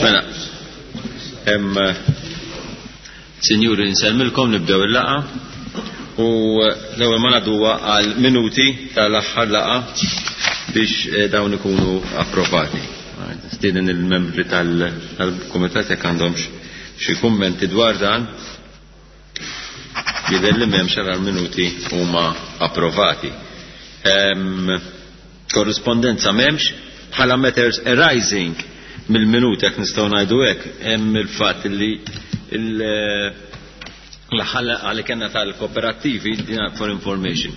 Mela, hemm Sinjuri nsellmilkom nibdew il-laqgħa u l-ewwel ma ngħadduha għal minuti tal-aħħar laqgħa biex eh, dawn ikunu approvati. Stieden il-membri tal-kumitat jekk għandhomx xi kummenti dwar dan. Jidher li m'hemmx għal minuti huma approvati. Korrispondenza m'hemmx bħala matters arising mill-minuti jekk nistgħu ngħidu hekk hemm il-fatt li l-ħalqa li kellna tal-kooperattivi for information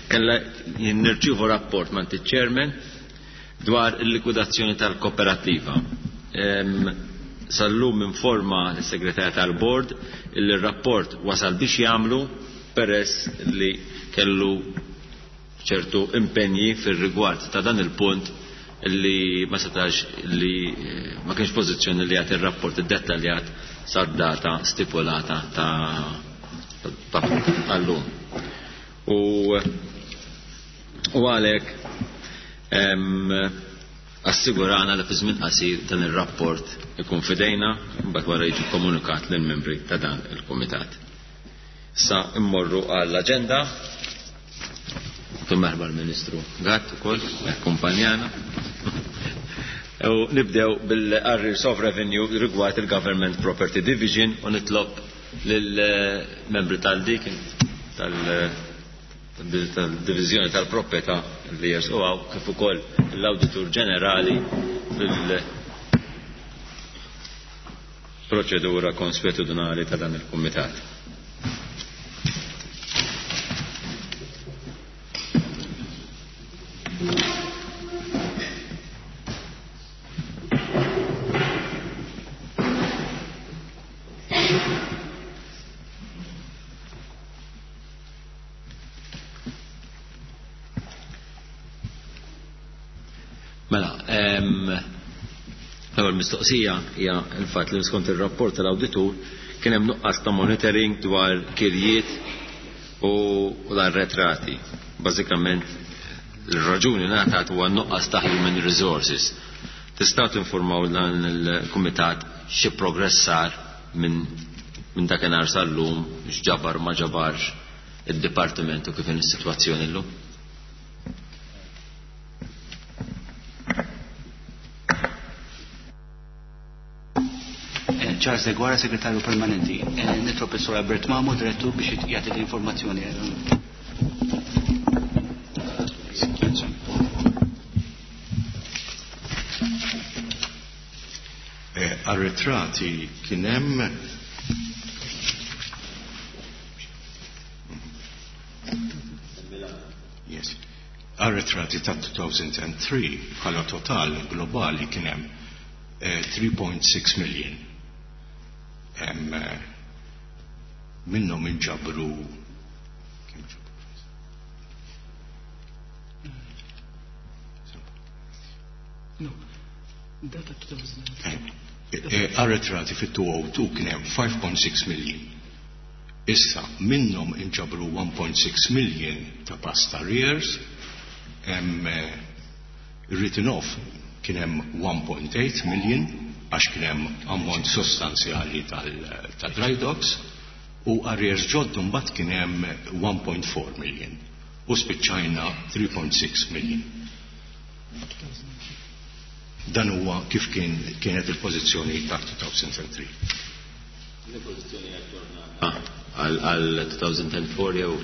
kella nirċievu rapport mant iċ-chairman dwar il-likwidazzjoni tal-kooperattiva. Sal-lum informa l-segretarja tal-bord li r-rapport wasal biex jagħmlu peress li kellu ċertu impenji fir-rigward ta' dan il-punt li ma setax li eh, ma kienx pożizzjoni li jagħti r-rapport iddettaljat sad-data stipulata ta' tal-lum. U U għalhekk assigurana li fi żmien qasir dan ir-rapport ikun f'idejna mbagħad wara jiġi komunikat lill-membri ta' dan il-kumitat. Sa immorru għall-aġenda. Merħba l-Ministru Gatt ukoll akkumpanjana. U nibdew bil-Arrears of Revenue rigward il-Government Property Division u nitlob lill-membri tal-dik tal- tal-Diviżjoni tal-Proprjetà li jersqu hawn kif ukoll l-Awditur Ġenerali fil-proċedura konswetudinali ta' dan il-Kumitat. Mela, l-ewwel mistoqsija hija l-fatt li skont ir-rapport tal-awditur kien hemm nuqqas ta' monitoring dwar kirjiet u l-arretrati. Bażikament ir-raġuni ngħatat huwa nuqqas ta' human resources. Tistgħu tinformaw dan il-kumitat xi progress sar minn minn dakinhar sal-lum, x'ġabar ma ġabarx id-dipartiment u kif inhi s-sitwazzjoni llum? Eh, Charles Deguara, Segretarju Permanenti. Eh, nitlob is-Sur Albert Mamo, Direttur, biex jagħti l-informazzjoni. Eh, arretrati kien hemm Yes. Arretrati ta' 2003 bħala total globali kien hemm 3.6 eh, million. Hemm eh, minnhom inġabru No. Data 2003. Eh, arretrati fit-2002 kien hemm 5.6 million. Issa minnhom inġabru 1.6 million ta' past arrears, hemm eh, written off kien hemm 1.8 million għax kien hemm ammont sostanzjali tal-dry docks u arrears ġoddu mbagħad kien hemm 1.4 million u spiċċajna 3.6 million. Dan huwa kif kien kienet il-pożizzjoni ta' 2003. Il-pożizzjoni għal għal 2004 jew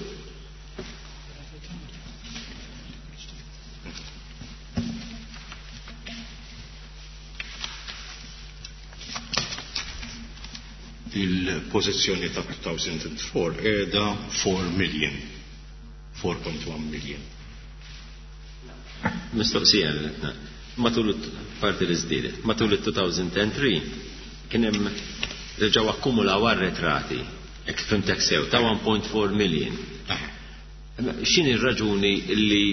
Il-pożizzjoni ta' 2004 qiegħda 4 million. 4.1 million. Mistoqsija matul parti li żdiedet. Matul il-2003 kien hemm reġgħu akkumulaw arretrati, hekk fhimtek sew, ta' 1.4 million. X'inhi r-raġuni li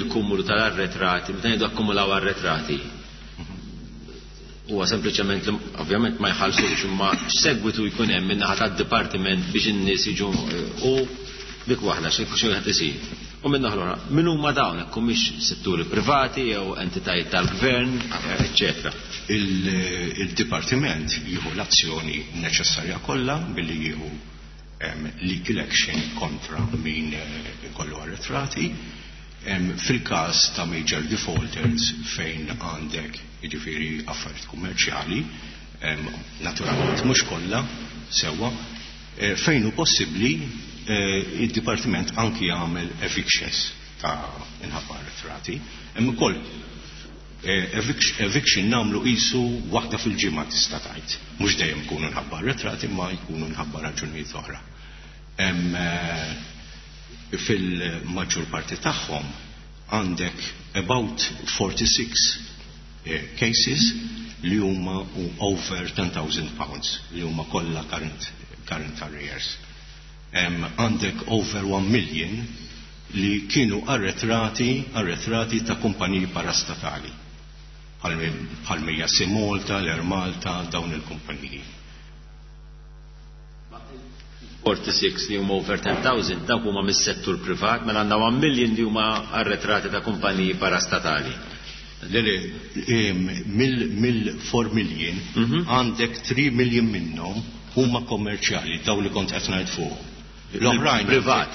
il-kumulu tal-arretrati, meta ngħidu akkumulaw arretrati, huwa sempliċement li ovvjament ma jħallsux imma x'segwitu jkun hemm min-naħa tad-dipartiment biex in-nies jiġu u dik waħda xi wieħed isir. U minn naħa l-oħra, min huma dawn, hekk humiex setturi privati jew entitajiet tal-gvern, eċċetera. Il-dipartiment jieħu l-azzjoni neċessarja kollha billi jieħu legal action kontra min ikollu arretrati. Fil-każ ta' major defaulters fejn għandek jiġifieri affarijiet kummerċjali, naturalment mhux kollha sewwa, fejn hu possibbli id-dipartiment anki jagħmel evictions ta' inħabba arretrati. Hemm ukoll eviction nagħmlu qisu waħda fil-ġimgħa tista' tgħid. Mhux dejjem ikunu nħabba arretrati imma jkunu nħabba raġunijiet oħra. Fil-maġġor parti tagħhom għandek about 46 cases li huma over 10,000 pounds li huma kollha current arrears. Għandek over 1 million li kienu arretrati ta' kumpaniji parastatali. Bħal Sea Malta, l-Air Malta, dawn il-kumpaniji. 46 li huma over 10,000 dawk huma mis-settur privat, mela għandna 1 million li huma arretrati ta' kumpaniji parastatali. Le, le, mill 4 million għandek 3 million minnhom huma kommerċjali, daw li kont qed ngħid fuq. L-oħrajn privat.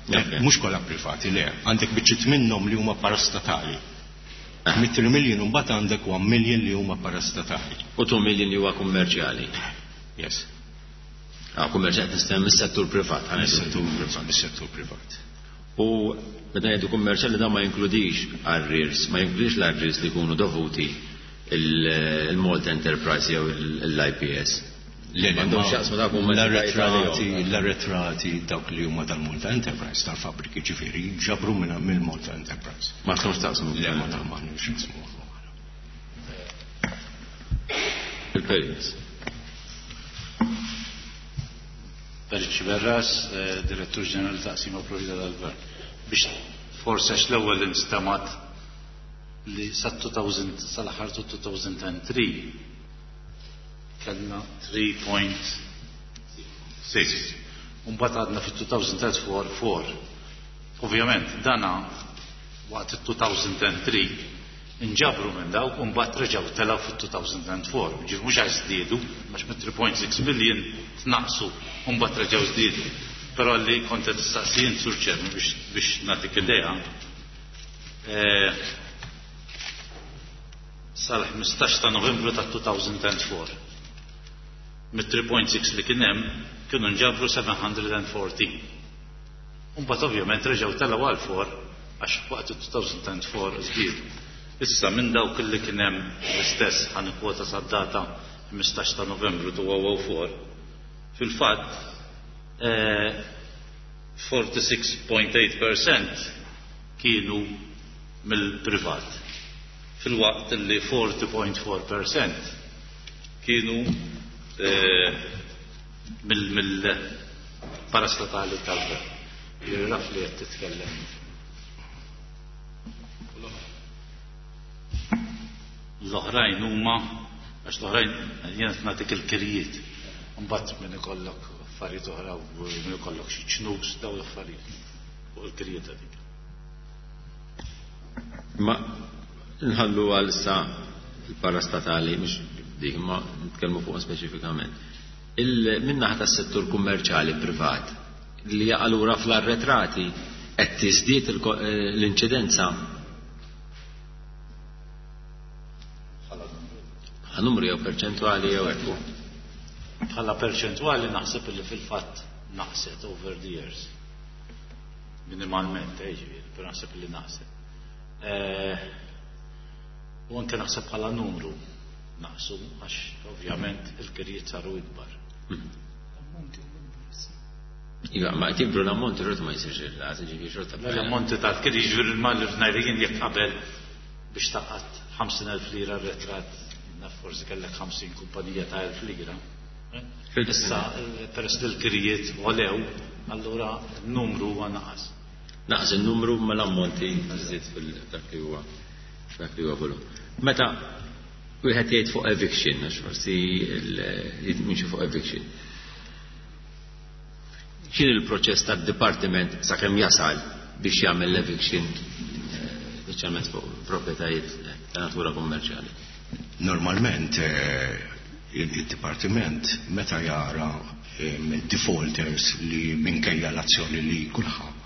Mhux kollha privati, le, għandek biċċiet minnhom li huma parastatali. Mit 3 million u mbagħad għandek 1 million li huma parastatali. U 2 million li huwa kummerċjali. Yes. Ah, kummerċjali tista' mis-settur privat, ħa ngħidu. Mis-settur privat, mis-settur privat. U meta ngħidu kummerċjali dan ma jinkludix arrears, ma jinkludix l-arrears li jkunu dovuti il-Malta Enterprise jew l-IPS. Le, le, M'għandhomx ma x'jaqsmu dak huma l-arretrati, l-arretrati. l-arretrati dawk li huma tal-Malta Enterprise, tal-fabbriki ġifieri, ġabru mill-Malta Enterprise. Ma għandhomx x'jaqsmu. Le, ma m'għandhomx x'jaqsmu. Il-Perit. Perit Sciberras, Direttur Ġenerali ta' Taqsima Proprjetà tal-Gvern. Biex forse għax l-ewwel instamat li sa 2000, sal-aħħar ta' 2003 kellna 3.6. Mbagħad għadna fi 2004 4. Ovvjament dana waqt it-2003 inġabru minn dawk u mbagħad reġgħu telgħu fit-2004. Ġifieri mhux għax żdiedu, għax mit 3.6 million tnaqsu u mbagħad reġgħu żdiedu. Però li kont qed tistaqsi int, Sur Chairman, biex nagħtik idea, sal-15 ta' Novembru ta' 2004. Mit 3.6 li kien hemm kienu nġabru 714. U mbagħad ovvjament reġgħu telgħu għal 4 għax waqt 2004 żdiedu. Issa minn dawk li kien hemm l-istess ħa nikkwota sad-data 15 ta' Novembru 2004, fil-fatt 46.8% kienu mill-privat, fil-waqt li 40.4% kienu mill-parastatali tal-gvern. Jiġifieri naf li qed titkellem. L-oħrajn huma, għax l-oħrajn jien qed nagħtik il-kirjiet. Imbagħad min ikollok affarijiet oħra u min ikollok xi ċnus daw l-affarijiet fuq il-kirjiet għadik. Ma nħallu għal issa il-parastatali, mhux dik, ma nitkellmu fuq speċifikament. Min-naħa tas-settur kummerċjali privat li jaqa' lura fl-arretrati qed tiżdied l-inċidenza. Numru jew perċentwali jew hekk. Bħala perċentwali naħseb li fil-fatt naqset over the years. Minimalment, ġifieri, però naħseb li naqset. U anke naħseb bħala numru naqsu għax ovvjament il-kirjiet saru ikbar. Iva, ma qed jikbru l-ammonti xorta ma jsirx il-ras, ġifieri xorta Le, l-ammonti tal-kirjiet jiġifieri l-mal li f'najrijin jekk qabel biex taqgħod 50,000 lira retrat, naf forsi kellek 50 kumpanija ta' 1,000 lira. Issa, peress li l-kirjiet għolew, allura n-numru huwa naqas. Naqas il-numru ma l-ammonti żied fil-dak li huwa, dak li huwa volum. Meta wieħed jgħid fuq eviction, għax forsi jimxi fuq eviction. X'in il-proċess tad-dipartiment sakemm jasal biex jagħmel l-eviction, speċjalment fuq proprjetajiet ta' natura kummerċjali? Normalment il-dipartiment meta jara defaulters li minkejja l-azzjoni li kulħadd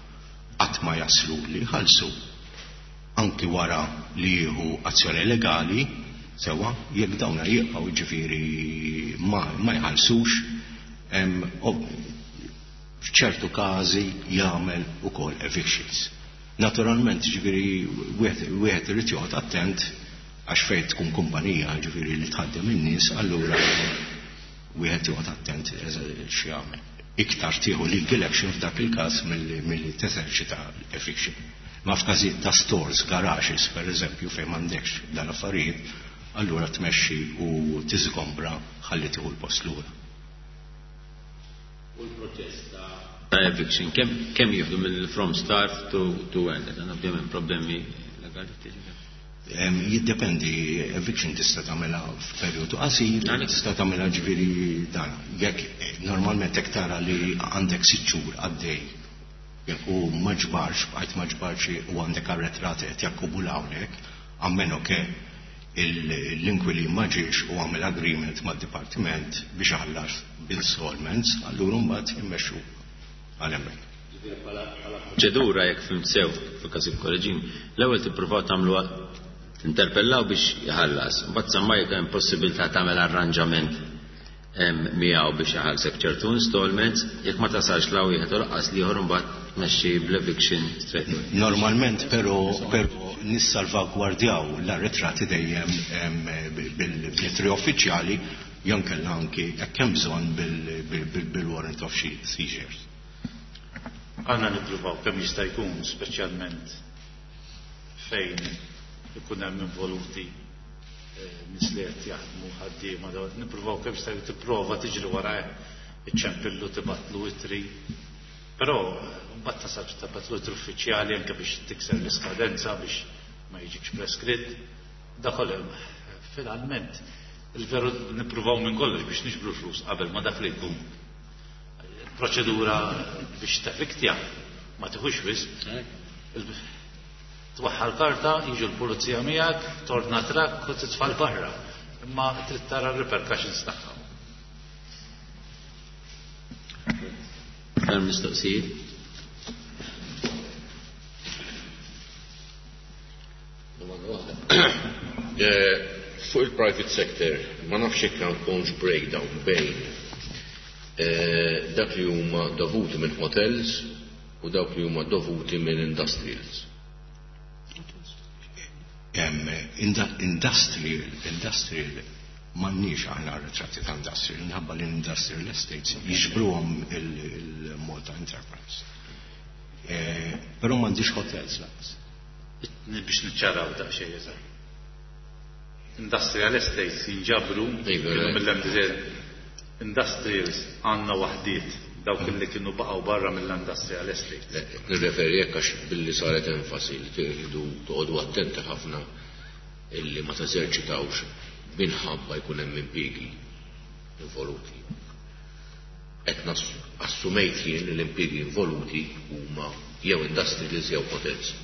qatt ma jaslu li jħallsu, anki wara li jieħu azzjoni legali, sewa, jekk dawna jibqgħu ġifieri ma jħallsux, f'ċertu każi jagħmel ukoll evictions. Naturalment, ġifieri wieħed irid joqgħod attent għax fejn tkun kumpanija ġifieri li tħaddem in-nies, allura wieħed joqgħod attent x'jagħmel. Iktar tieħu legal action f'dak il-każ milli teżerċita eviction. Ma f'każijiet ta' stores, garages, per eżempju, fejn m'għandekx dan affarijiet, allura tmexxi u tiżgombra ħalli tieħu l-post lura. U l-proċess ta' eviction, kemm jieħdu mill from start to end? Dan ovvjament problemi legali tiġi. Jiddependi, eviction tista' tagħmilha f'perjodu qasir, tista' tagħmilha ġifieri dan. Jekk normalment hekk tara li għandek 6 xhur għaddej u ma ġbarx, bqajt ma ġbarx u għandek arretrati qed jakkumulawlek, ammeno che l-inkwili ma ġiex u għamel agreement mad-dipartiment biex ħallas b'installments, allura mbagħad immexxu għal hemmhekk. Proċedura jekk fhimt sew fil-każ il-kolleġin, l-ewwel tippruvaw tagħmlu tinterpellaw biex jħallas, mbagħad semmai jekk hemm possibilità tagħmel arranġament miegħu biex iħallsek ċertu installments, jekk ma tasalx la wieħed u lanqas l-ieħor imbagħad tmexxi bl-eviction straight away. Normalment però nissalvagwardjaw l-arretrati dejjem bil-lettri uffiċjali jew kellha anki jekk hemm bżonn bil-warrant of seizures. Għandna nippruvaw kemm jista' jkun, speċjalment fejn ikun hemm involuti nies li qed jaħdmu ħaddiema, nippruvaw kemm jista' jkun tipprova tiġri wara iċċempillu tibatlu itri. Però mbagħad tasal tibatlu itri uffiċjali anke biex tikser l-iskadenza biex ma jiġikx preskritt. Dakol finalment il-veru nippruvaw minn kollox biex niġbru flus qabel ma dak li jkun. Proċedura biex tefiktja ma tiħux wisq. Twaħħal karta, jiġu l-pulizija miegħek, torna trakk u titfal barra. Imma trid tara r-repercussions tagħha. Hemm mistoqsijiet? Domanda waħda. Fuq il-private sector, ma nafx jekk għandkomx breakdown bejn dak li huma dovuti minn hotels u dawk li huma dovuti minn industrials. Industrial m'għandniex aħna ritratti ta' industrial, minħabba li industrial estates jiġbruhom il-Malta Enterprise. Però m'għandix hotels lanqas. Biex niċċaraw daqsxejn eżatt. Industrial estates jinġabru kienu mill-MDZ. Industrials għandna waħdiet dawk li kienu baqgħu barra mill-industrial estates. Nirreferi hekk għax billi saret enfasi li tridu toqgħodu attenti ħafna illi ma teżerċitawx minħabba jkun hemm impjiegi involuti. Qed assumejt jien li l-impjiegi involuti huma jew industrials jew hotels.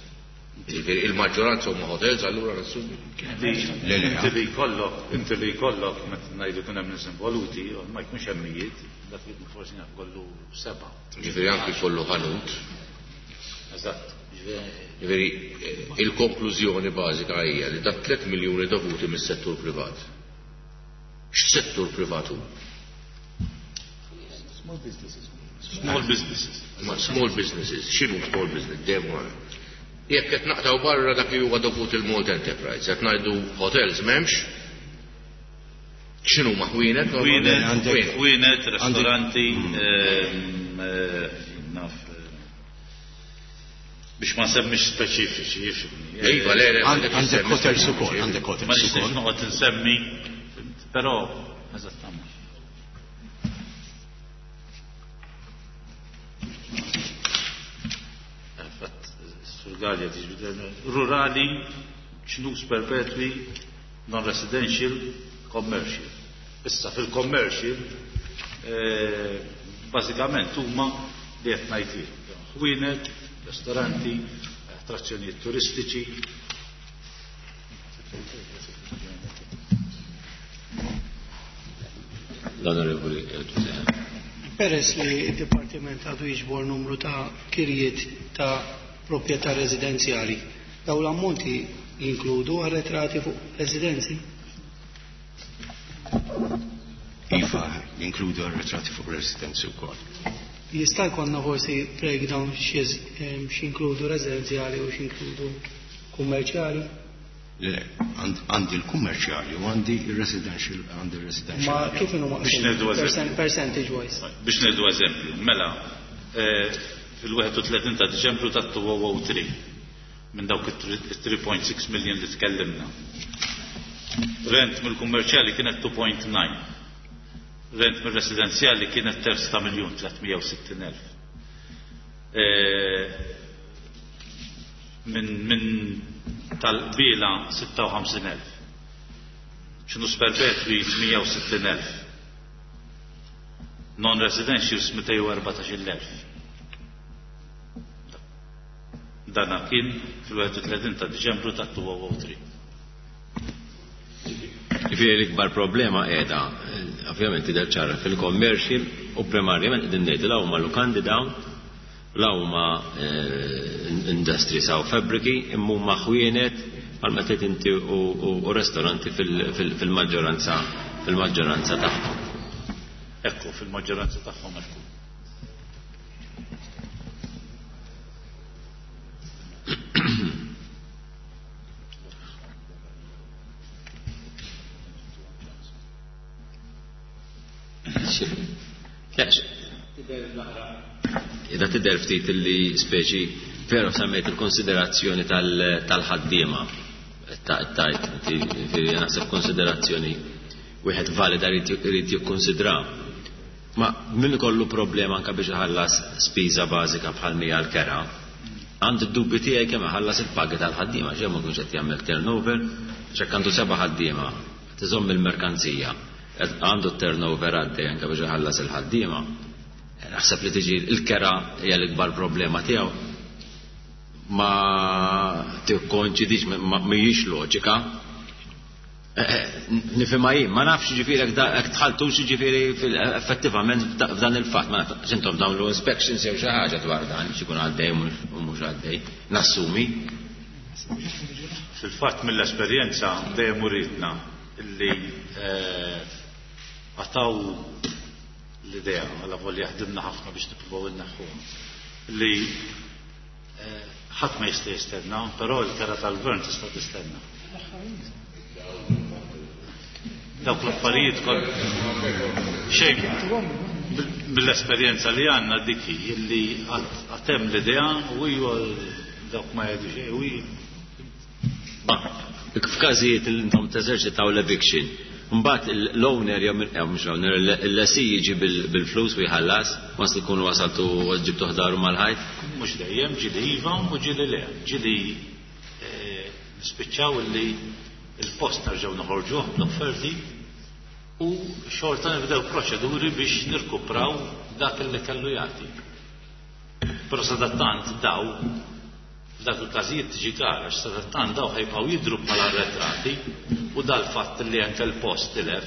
Jiġifieri il-maġġoranza huma hotels, allura nassumi. Inti li jkollok, inti li jkollok meta ngħidu kien hemm nies involuti, ma jkunx hemm mijiet, dak li forsi naf kollu 7. Jiġifieri anki jkollu ħanut. Eżatt. Jiġifieri il-konklużjoni bażika hija li dak 3 miljuni dovuti mis-settur privat. X'settur privat hu? Small businesses. Small businesses. Ma small businesses, x'inhu small business? Dejjem Jekk qed naqtaw barra dak li huwa dovut il-Malta Enterprise, qed ngħidu hotels m'hemmx, x'inhu ma ħwienet? Ħwienet, ħwienet, ristoranti, naf, biex ma nsemmix speċifiċi, jifhimni. Iva, le, le, għandek hotels ukoll, għandek hotels Ma nixtieqx ukoll. noqgħod insemmi, però eżattament. Surgalja tiġi rurali, ċnus perpetwi, non-residential, commercial. Issa fil-commercial, bażikament huma li qed ngħid jien. Ħwienet, Ristoranti, attrazzjonijiet turistiċi. L-Onorevoli Peress li d-Dipartiment għadu jiġbor numru ta' kirjiet ta' proprjetà residenzjali, dawn l-ammonti jinkludu arretrati fuq residenzi? Iva, jinkludu arretrati fuq residenzi wkoll. Jista' jkollna forsi breakdown x'inkludu residenzjali u x'inkludu kummerċjali? Le, għandi l-kummerċjali u għandi il-residential, għandi il-residential. Ma kif inhu Biex ngħidu eżempju. Percentage wise. Biex ngħidu eżempju, mela, fil-31 ta' Diċembru ta' 2003 minn dawk it-3.6 million li tkellimna. Rent mill-kummerċjali kienet 2.9. Rent mill-residenzjali kienet terz ta' miljun 360,000. Minn tal-qbila 56,000. X'inhu perpetwi 160,000. Non-residentials 214,000. Dana kien fil-31 ta' Diċembru ta' 2003. Ġifieri l-ikbar problema qiegħda, ovvjament tidher ċara fil-commercial u primarjament qegħdin ngħidu la huma lukandi dawn, la huma industries aw fabbriki, imma huma ħwienet bħalma tgħid inti u ristoranti fil-maġġoranza tagħhom. Ekku, fil-maġġoranza tagħhom ekku. Ida tidher ftit li speċi però semmejt il-konsiderazzjoni tal-ħaddiema. Tajt, inti naħseb konsiderazzjoni wieħed valida jrid jikkonsidra. Ma min ikollu problema anke biex iħallas spiża bażika bħal mija l-kera, għandi d-dubbi tiegħi kemm iħallas il-pagi tal-ħaddiema, xejn ma jkunx qed jagħmel turnover, x'hekk għandu 7 ħaddiema, tiżomm il-merkanzija, għandu turnover għaddej anke biex iħallas il-ħaddiema. Naħseb li tiġi l-kera hija l-ikbar problema tiegħu. Ma tikkonċidix, mhijiex loġika. Nifhimha jien, ma nafx ġifieri jekk dħaltux ġifieri effettivament f'dan il-fatt, ma nafx intom tagħmlu inspections jew xi ħaġa dwar dan, x'ikun għaddej u mhux għaddej, nassumi. Fil-fatt mill-esperjenza dejjem uritna illi għataw l-idea, għala volja ħdimna ħafna biex nippruvaw inneħħuha, li ħadd ma jista' jistenna, però l-kera tal-gvern tista' tistenna. Dawk l-affarijiet kollha. Xejn mill-esperjenza li għandna dik hi illi għad hemm l-idea u hija dawk ma jgħidu xejn u hi. Ma f'każijiet li intom teżerċitaw l-eviction, mbagħad l-owner jew mhux l-owner, l-lessee jiġi bil-flus u jħallas, once li jkunu wasaltu ġibtu ħdaru mal-ħajt? Mhux dejjem, ġieli iva u ġieli le. Ġieli nispiċċaw li il-post nerġgħu noħorġuh bl-offerti u xorta nibdew proċeduri biex nirkupraw dak li kellu jagħti. Però sadattant daw f'dak il-każijiet tiġi gara, għax sadattant daw ħajbqgħu jidhru bħala arretrati u dal-fatt li anke l-post tilef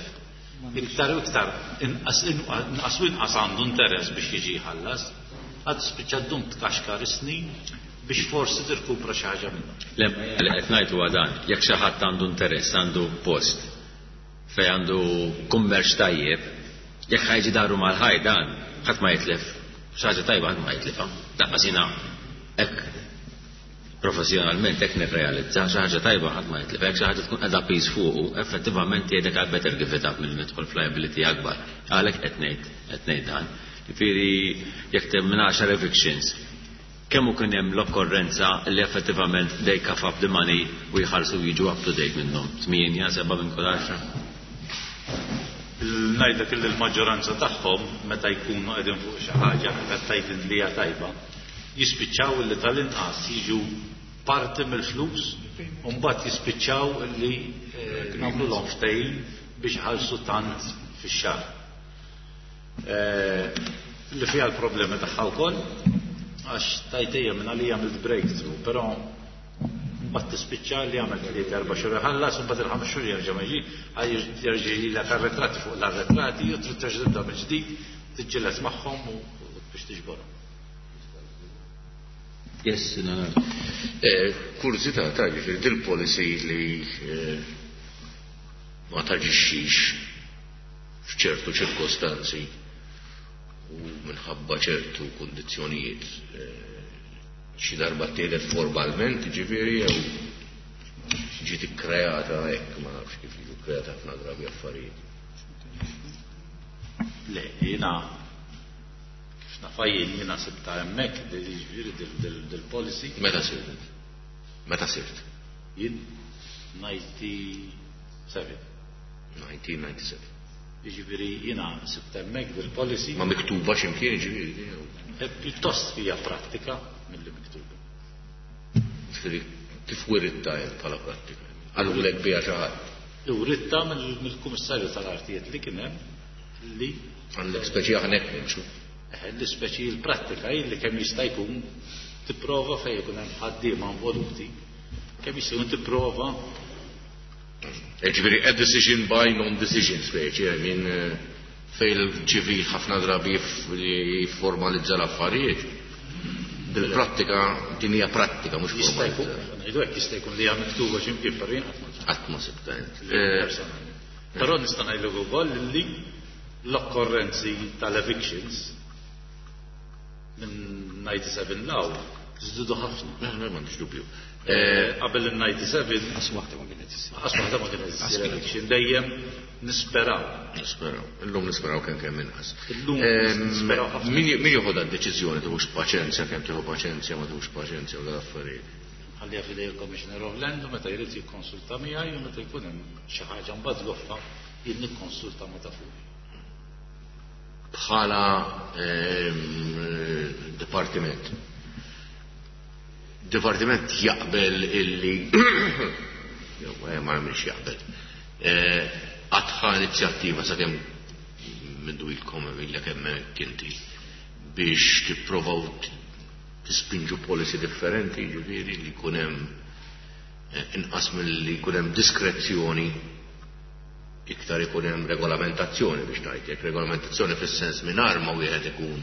iktar u iktar inqas inqas u inqas għandu interess biex jiġi jħallas, għad spiċċa ddum tkaxkar is-snin biex forsi tirkupra xi ħaġa minnhom. Le, li qed ngħid huwa dan, jekk xi ħadd għandu interess, għandu post fej għandu kummerċ tajjeb, jekk ħajġi daru mal-ħaj dan, ħadd ma jitlef, xi ħaġa tajba ħadd ma jitlifha. Daqqas jiena hekk professjonalment hekk nirrealizza xi ħaġa tajba ħadd ma jitlef, jekk xi ħaġa tkun qiegħda piż fuqu, effettivament jgħidlek għal better give it up milli nidħol f'liability akbar. Għalhekk qed ngħid dan. Jiġifieri jekk temm minn 10 evictions, kemm hu kien hemm l-okkorrenza li effettivament they cough up the money u jħallsu jiġu up to date minnhom? 8, 7 minn kull 10. Ngħidlek illi l-maġġoranza tagħhom meta jkunu qegħdin fuq xi ħaġa qed tgħid li hija tajba, jispiċċaw illi tal-inqas jiġu parti mill-flus u mbagħad jispiċċaw illi nagħmluhom ftehim biex iħallsu tant fix-xahar. Li fiha l-problemi tagħha wkoll, Għax tajtejja minn għalija għamilt breakthrough, però mbagħad tispiċċa li għamel 3-4 xhur iħallas u mbagħad il-5 xhur jerġa' ma jiġi, jerġa' jilek arretrati fuq l-arretrati u trid terġa' tibda mill-ġdid, tiġġieled magħhom u biex tiġborhom. Yes, no. Kurżità ta' ġifieri dil-policy li ma taġixxix f'ċertu ċirkostanzi u minħabba ċertu kondizzjonijiet, xi darba ttieħdet formalment, ġifieri, jew ġiet ikkreata hekk, ma nafx kif jiġu kkreata ħafna drabi affarijiet. Le, jiena kif nafha jien, jiena sibta hemmhekk ġifieri dil-policy. Meta sirt? Meta sirt? Jien 97. 1997. Jiġifieri jiena sibt hemmhekk dil-policy. Ma miktuba x'imkien, ġifieri? Pjuttost hija prattika milli miktuba. Ġifieri kif wiritta jien bħala prattika? Qalulek biha xi ħadd? Writta mill-Kummissarju tal-Artijiet li kien hemm li Għandek speċi aħna hekk nimxu. Li speċi l-prattika hi li kemm jista' jkun tipprova fejn ikun hemm ħaddiema involuti, kemm jista' jkun tipprova. Ġifieri a decision by non-decision speċi, I mean, fejn il-ċivil ħafna drabi jifformalizza l-affarijiet. Dil-prattika, din hija prattika, mhux Jista' jkun, formalizzata. ngħidu hekk, jista' jkun li hija miktuba xi mkien, però jien qatt ma sibtha. Qatt ma sibtha, int. Personalment. Però nista' ngħidlek ukoll li l-okkorrenzi tal-evictions minn 97 law żdiedu ħafna. Le, le, m'għandix dubju. Qabel il-97 Qas waħda ma kienet issir. Qas waħda ma kienet issir eviction, dejjem nisperaw. Nisperaw. Illum nisperaw kemm kemm inqas. Illum nisperaw ħafna. Min joħodha d-deċiżjoni, tieħux paċenzja, kemm tieħu paċenzja, ma tieħux paċenzja u dal-affarijiet? Ħallija f'idej il-Commissioner of Land u meta jrid jikkonsulta miegħi u meta jkun hemm xi ħaġa mbagħad goffa jien nikkonsulta ma' ta' fuq. Bħala dipartiment. Dipartiment jaqbel illi jew ma nagħmilx jaqbel. Għadħa inizjattiva sakemm mindu ilkom illa kemm kinti biex tipprovaw tispinġu policy differenti, ġifieri li jkun hemm inqas milli jkun hemm diskrezzjoni, iktar ikun hemm regolamentazzjoni, biex ngħid hekk, regolamentazzjoni fis-sens mingħajr ma wieħed ikun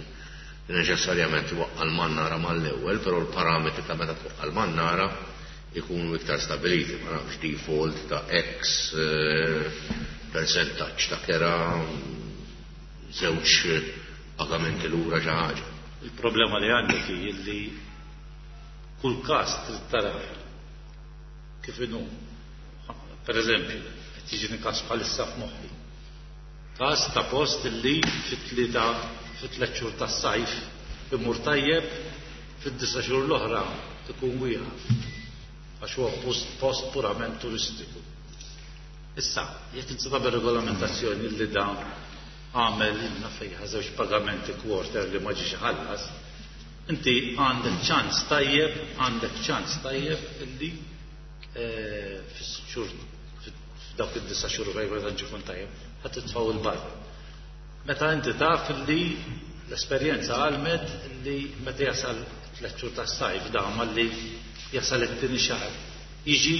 neċessarjament iwaqqa' l-mannara mal-ewwel, però l-parametri ta' meta twaqqa' l-mannara ikunu iktar stabiliti, ma nafx default ta' X percentaġġ ta' kera, żewġ pagamenti lura xi ħaġa. Il-problema li għandek hi li kull każ trid tara kif inhu. Per eżempju, qed jiġini każ bħalissa f'moħħi. Każ ta' post li fit-tlieta fit-tliet xhur tas-sajf imur tajjeb, fid-disa' xhur l-oħra ikun wieqaf. Għax huwa post purament turistiku. Issa, jekk inti tagħmel regolamentazzjoni li da għamel inna fejn żewġ pagamenti quarter li ma ġiex iħallas, inti għandek ċans tajjeb, għandek ċans tajjeb illi fis-xhur, f'dawk id-disa' xhur fejn ma tantx ikun tajjeb, ħadd titfgħu il-barra. Meta inti taf li l-esperjenza għalmet li meta jasal 3 xhur tas-sajf da malli jasal it-tieni xahar, jiġi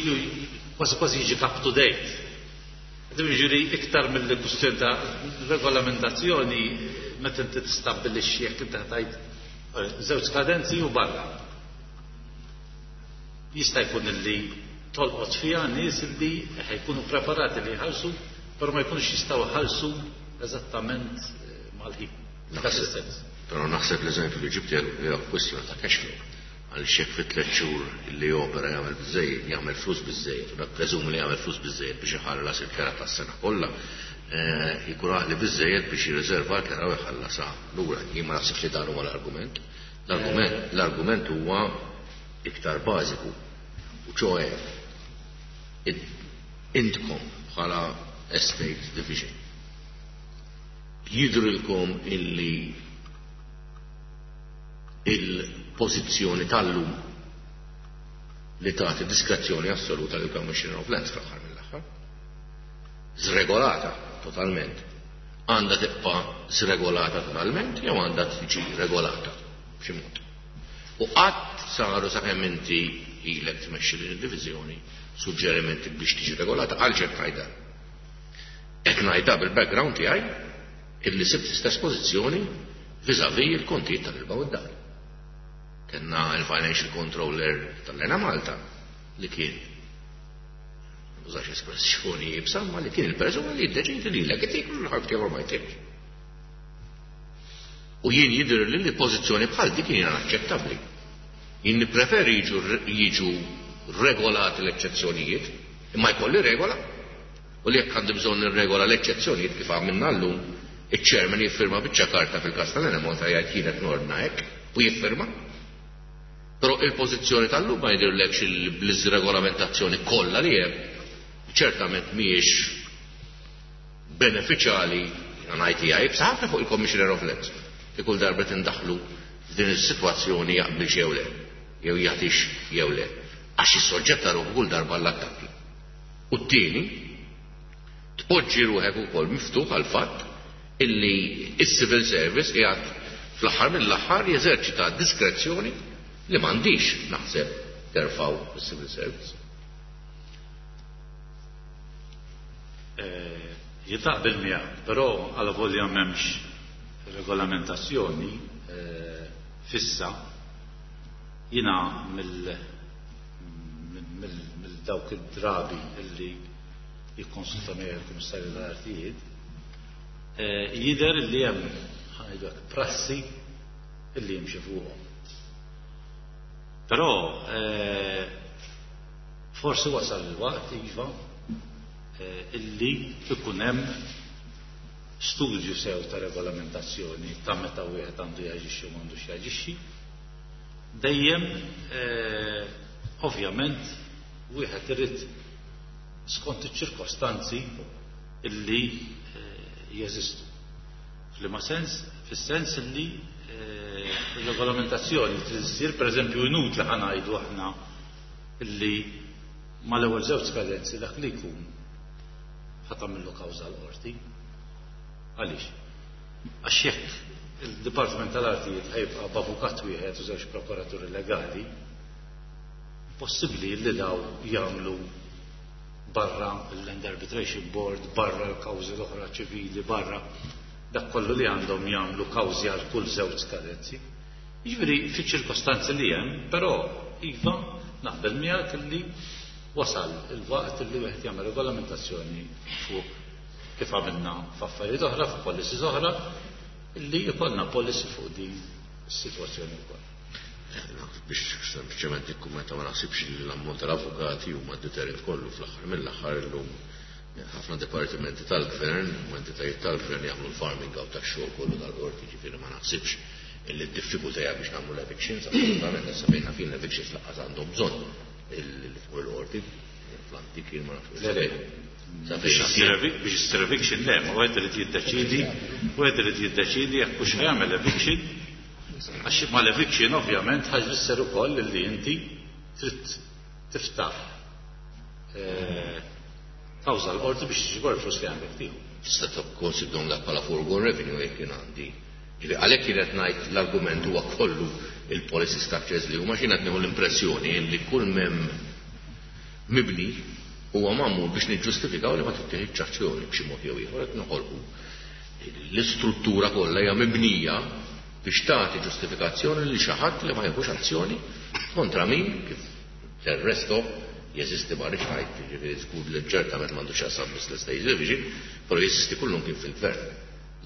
kważi kważi jiġi up to date. Jiġifieri iktar mill kwistjoni ta' regolamentazzjoni meta inti tistabbilixxi jekk inti ħtajt żewġ skadenzi u barra. Jista' jkun illi tolqot fiha nies illi ħajkunu preparati li jħallsu, però ma jkunux jistgħu jħallsu eżattament mal-ħin. Dak is-sens. Però naħseb l-eżempju li ġibt hija kwestjoni ta' cash flow. Għal xek fi 3 xhur li opera jagħmel biżejjed, jagħmel flus biżejjed, u preżumi li jagħmel flus biżejjed biex iħallas il-kera tas-sena kollha, jkun għaqli biżejjed biex jirriserva l-kera u jħallasha lura. Jien ma naħsibx li dan huwa l-argument. L-argument huwa iktar bażiku. U ċoe intkom bħala Estate Division jidrilkom illi il-pożizzjoni tal-lum li tagħti diskrezzjoni assoluta lil Commissioner of Lands fl-aħħar mill-aħħar. Zregolata totalment. Għandha tibqa' zregolata totalment jew għandha tiġi regolata b'xi mod. U qatt saru sakemm inti ilek tmexxi din id-diviżjoni suġġerimenti biex tiġi regolata għal ġed ngħidha. Qed ngħidha bil-background tiegħi illi sibt l-istess pożizzjoni vis-à-vis il-kontijiet tal-ilma u d-dar. Kenna il-financial controller tal-Enemalta li kien użax espressjoni jibsa, ma li kien il-persuna li jiddeċidi li l itik u l-ħadd jew ma jtikx. U jien jidher li li pożizzjoni bħal dik hija inaċċettabbli. Jien nippreferi jiġu regolati l-eċċezzjonijiet, imma jkolli regola, u li jekk għandi bżonn nirregola l-eċċezzjonijiet kif għamilna llum, iċ-chairman jiffirma biċċa karta fil-każ tal-Enemalta jgħid jien qed nordna hekk u jiffirma. Però il-pożizzjoni tal-lum ma jidhirlekx li bl-iżregolamentazzjoni kollha li hemm ċertament mhijiex benefiċjali, jiena ngħid hija iebsa ħafna fuq il-Commissioner of Lands li kull darba tindaħlu f'din is-sitwazzjoni jaqbilx jew le, jew jagħtix jew le, għax jissoġġetta ruħu kull darba għall-attakki. U t-tieni, tpoġġi ruħek ukoll miftuħ għall fatt illi s-civil service qiegħed fl-aħħar mill-aħħar jeżerċita diskrezzjoni li m'għandix naħseb terfgħu is-civil service. Jien naqbel miegħek, però alavolja m'hemmx regolamentazzjoni fissa, jiena mill dawk id-drabi illi jikkonsulta miegħi il-Kummissarju tal-Artijiet, jidher li hemm ħa ngħidu hekk prassi illi jimxi fuqhom. Però forsi wasal il-waqt iva illi ikun hemm studju sew ta' regolamentazzjoni ta' meta wieħed għandu jaġixxi u m'għandux jaġixxi. Dejjem ovvjament wieħed irid skont iċ-ċirkostanzi illi jeżistu. F'liema sens? Fis-sens illi ir-regolamentazzjoni trid issir, pereżempju inutli ħa ngħidu aħna illi mal-ewwel żewġ skadenzi dak li jkun ħa tagħmillu kawża l-qorti. Għaliex? Għax jekk il-Dipartiment tal-Artijiet ħajbqa' b'avukat wieħed u żewġ prokuraturi legali, possibbli li daw jagħmlu barra l-Land Arbitration Board, barra l-kawżi l-oħra ċivili, barra dak kollu li għandhom jagħmlu kawżi għal kull żewġ skadenzi. Jiġifieri fiċ-ċirkostanzi li hemm, però iva naqbel miegħek li wasal il-waqt li wieħed jagħmel regolamentazzjoni fuq kif għamilna f'affarijiet oħra, f'policies oħra, li jkollna policy fuq din is-sitwazzjoni wkoll. Biex sempliċement nikkummenta, ma naħsibx li l-ammont tal-avukati huma deterrent kollu. Fl-aħħar mill-aħħar illum ħafna dipartimenti tal-gvern u entitajiet tal-gvern jagħmlu l-farming out tax-xogħol kollu tal-qorti, ġifieri ma naħsibx illi d-diffikultà hija biex nagħmlu l-evictions, assolutament, issa fejn fin l-evictions lanqas għandhom bżonn il fuq il-qorti, fl-antik jien ma nafx. Le, le. Biex issir eviction le, ma wieħed irid jiddeċidi, wieħed irid jiddeċidi jekk hux jagħmel eviction, għax ma l-eviction ovvjament ħa jfisser ukoll li inti trid tiftaħ kawża l-qorti biex tiġbor il-flus li għandek tieħu. Tista' tikkonsidrom dak bħala foregone revenue jekk jien għandi. Ġifieri għalhekk kien qed ngħid l-argument huwa kollu il-policy structures li huma xi qed nieħu l-impressjoni li kull mem mibni huwa magħmul biex niġġustifikaw li ma tittieħidx azzjoni b'xi mod jew ieħor qed noħolqu. L-istruttura kollha hija mibnija biex tagħti ġustifikazzjoni li xi ħadd li ma jieħux azzjoni kontra min kif del resto jeżisti ma rridx ngħid, jiġifieri żgur li ċertament m'għandux x'jaqsam biss l-Estate Division, però jeżisti kullum kien fil-gvern.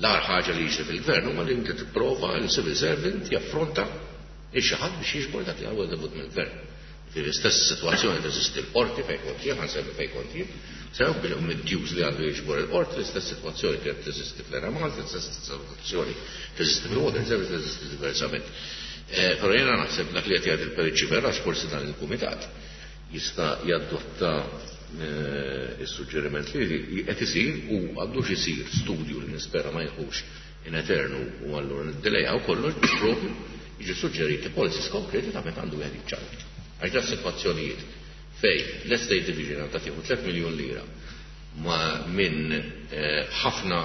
L-agħar ħaġa li jiġri fil-gvern huwa li inti tipprova l-civil servant jaffronta il xi ħadd biex jiġbor dak li huwa dovut mill-gvern. Fil-istess sitwazzjoni teżisti l-qorti fejn kont jien, ħa nsemmi fejn kont jien, sew bil-dues li għandu jiġbor il-qorti, l-istess sitwazzjoni kienet teżisti fl-Enemalta, l-istess sitwazzjoni teżisti fil-Water Service, teżisti diversament. Però jiena naħseb dak li qed jgħid il-Perit Sciberras forsi dan il-kumitat jista' jadotta is-suġġeriment li qed isir u għandux isir studju li nispera ma jħux in eternu u allura niddilejaw kollox biex propju jiġu suġġeriti policies konkreti ta' meta għandu wieħed jiċċaqlaq. Għax da sitwazzjonijiet fej l-Estate Division għandha tieħu 3 miljun lira ma minn ħafna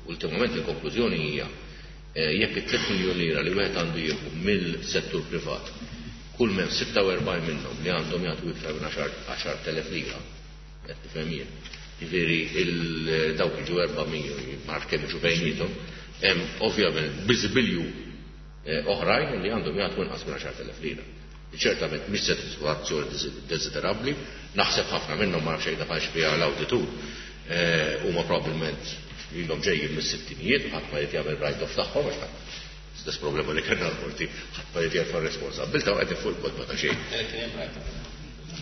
ultimament il-konklużjoni hija Jekk it-3 miljun lira li wieħed għandu jieħu mill-settur privat, kull m'hemm 46 minnhom li għandhom jagħtu iktar minn 10,000 lira, qed tifhem jien. Jiġifieri dawk jiġu 400, ma nafx kemm jiġu bejniethom, hemm ovvjament bi żbiljun oħrajn li għandhom jagħtu inqas minn 10,000 lira. Ċertament mhix sitwazzjoni desiderabbli, naħseb ħafna minnhom ma nafx jekk daħalx fiha l-awditur, huma probabbilment ilhom ġejjin mis-sittinijiet u ħadd ma jrid jagħmel write-off tagħhom għax ħadd stess problema li kellna l-qorti ħadd ma jrid jerfa' r-responsabbiltà u qegħdin fuq il-kotba ta' xejn.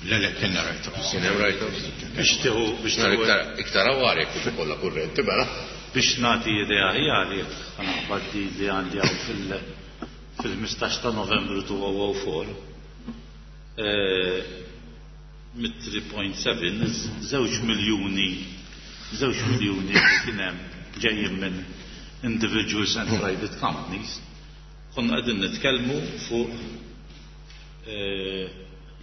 Le, le, kellna write-offs. Kien hemm write-offs? Biex tieħu biex tieħu Iktar iktar awar jekk kieku kollha kurrenti mela. Biex nagħti idea aħjar jekk ħa naqbad di li għandi hawn fil fil-15 ta' Novembru 2004 mit-3.7 żewġ miljuni żewġ miljuni li kien hemm ġejjin minn individuals and private companies konna qegħdin nitkellmu fuq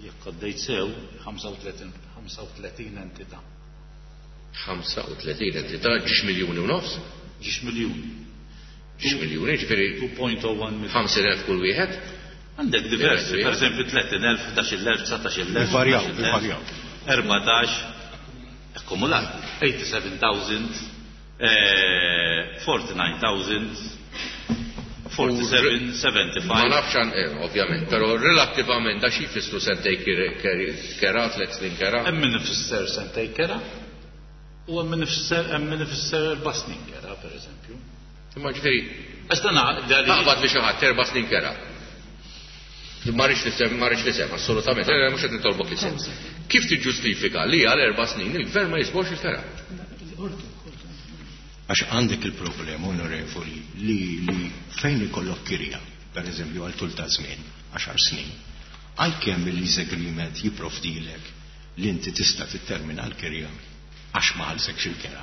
jekk għaddejt sew 35 35 entità. 35 entità, ġiex miljuni u nofs? Ġiex miljuni. Ġiex miljuni, ġifieri 2.01 miljun. 50,000 kull wieħed? Għandek diversi, per eżempju 30,000, 11,000, 19,000, Ivarjaw, 11,000, ivarjaw. 14, akkumulat, 87,000, 49,000, 47, 75. Ma nafx għan, ovvjament, però relattivament da xi jfissru sentej kera, tliet snin kera? Hemm min ifisser sentej kera u hemm min ifisser hemm min ifisser erba' snin kera, per eżempju. Imma ġifieri Għax dan taqbad li xi ħadd erba' snin kera. Ma rridx nisem, ma rridx nisem, assolutament, mhux qed nitolbok isem. Kif tiġġustifika li għal erba' snin il-gvern ma jiġborx il-kera? Għax għandek il-problema, onorevoli, li fejn ikollok kirja, per eżempju għal tul ta' żmien, 10 snin, għalkemm il-lease agreement jipprovdilek li inti tista' tittermina l-kirja għax ma ħallsekx il-kera.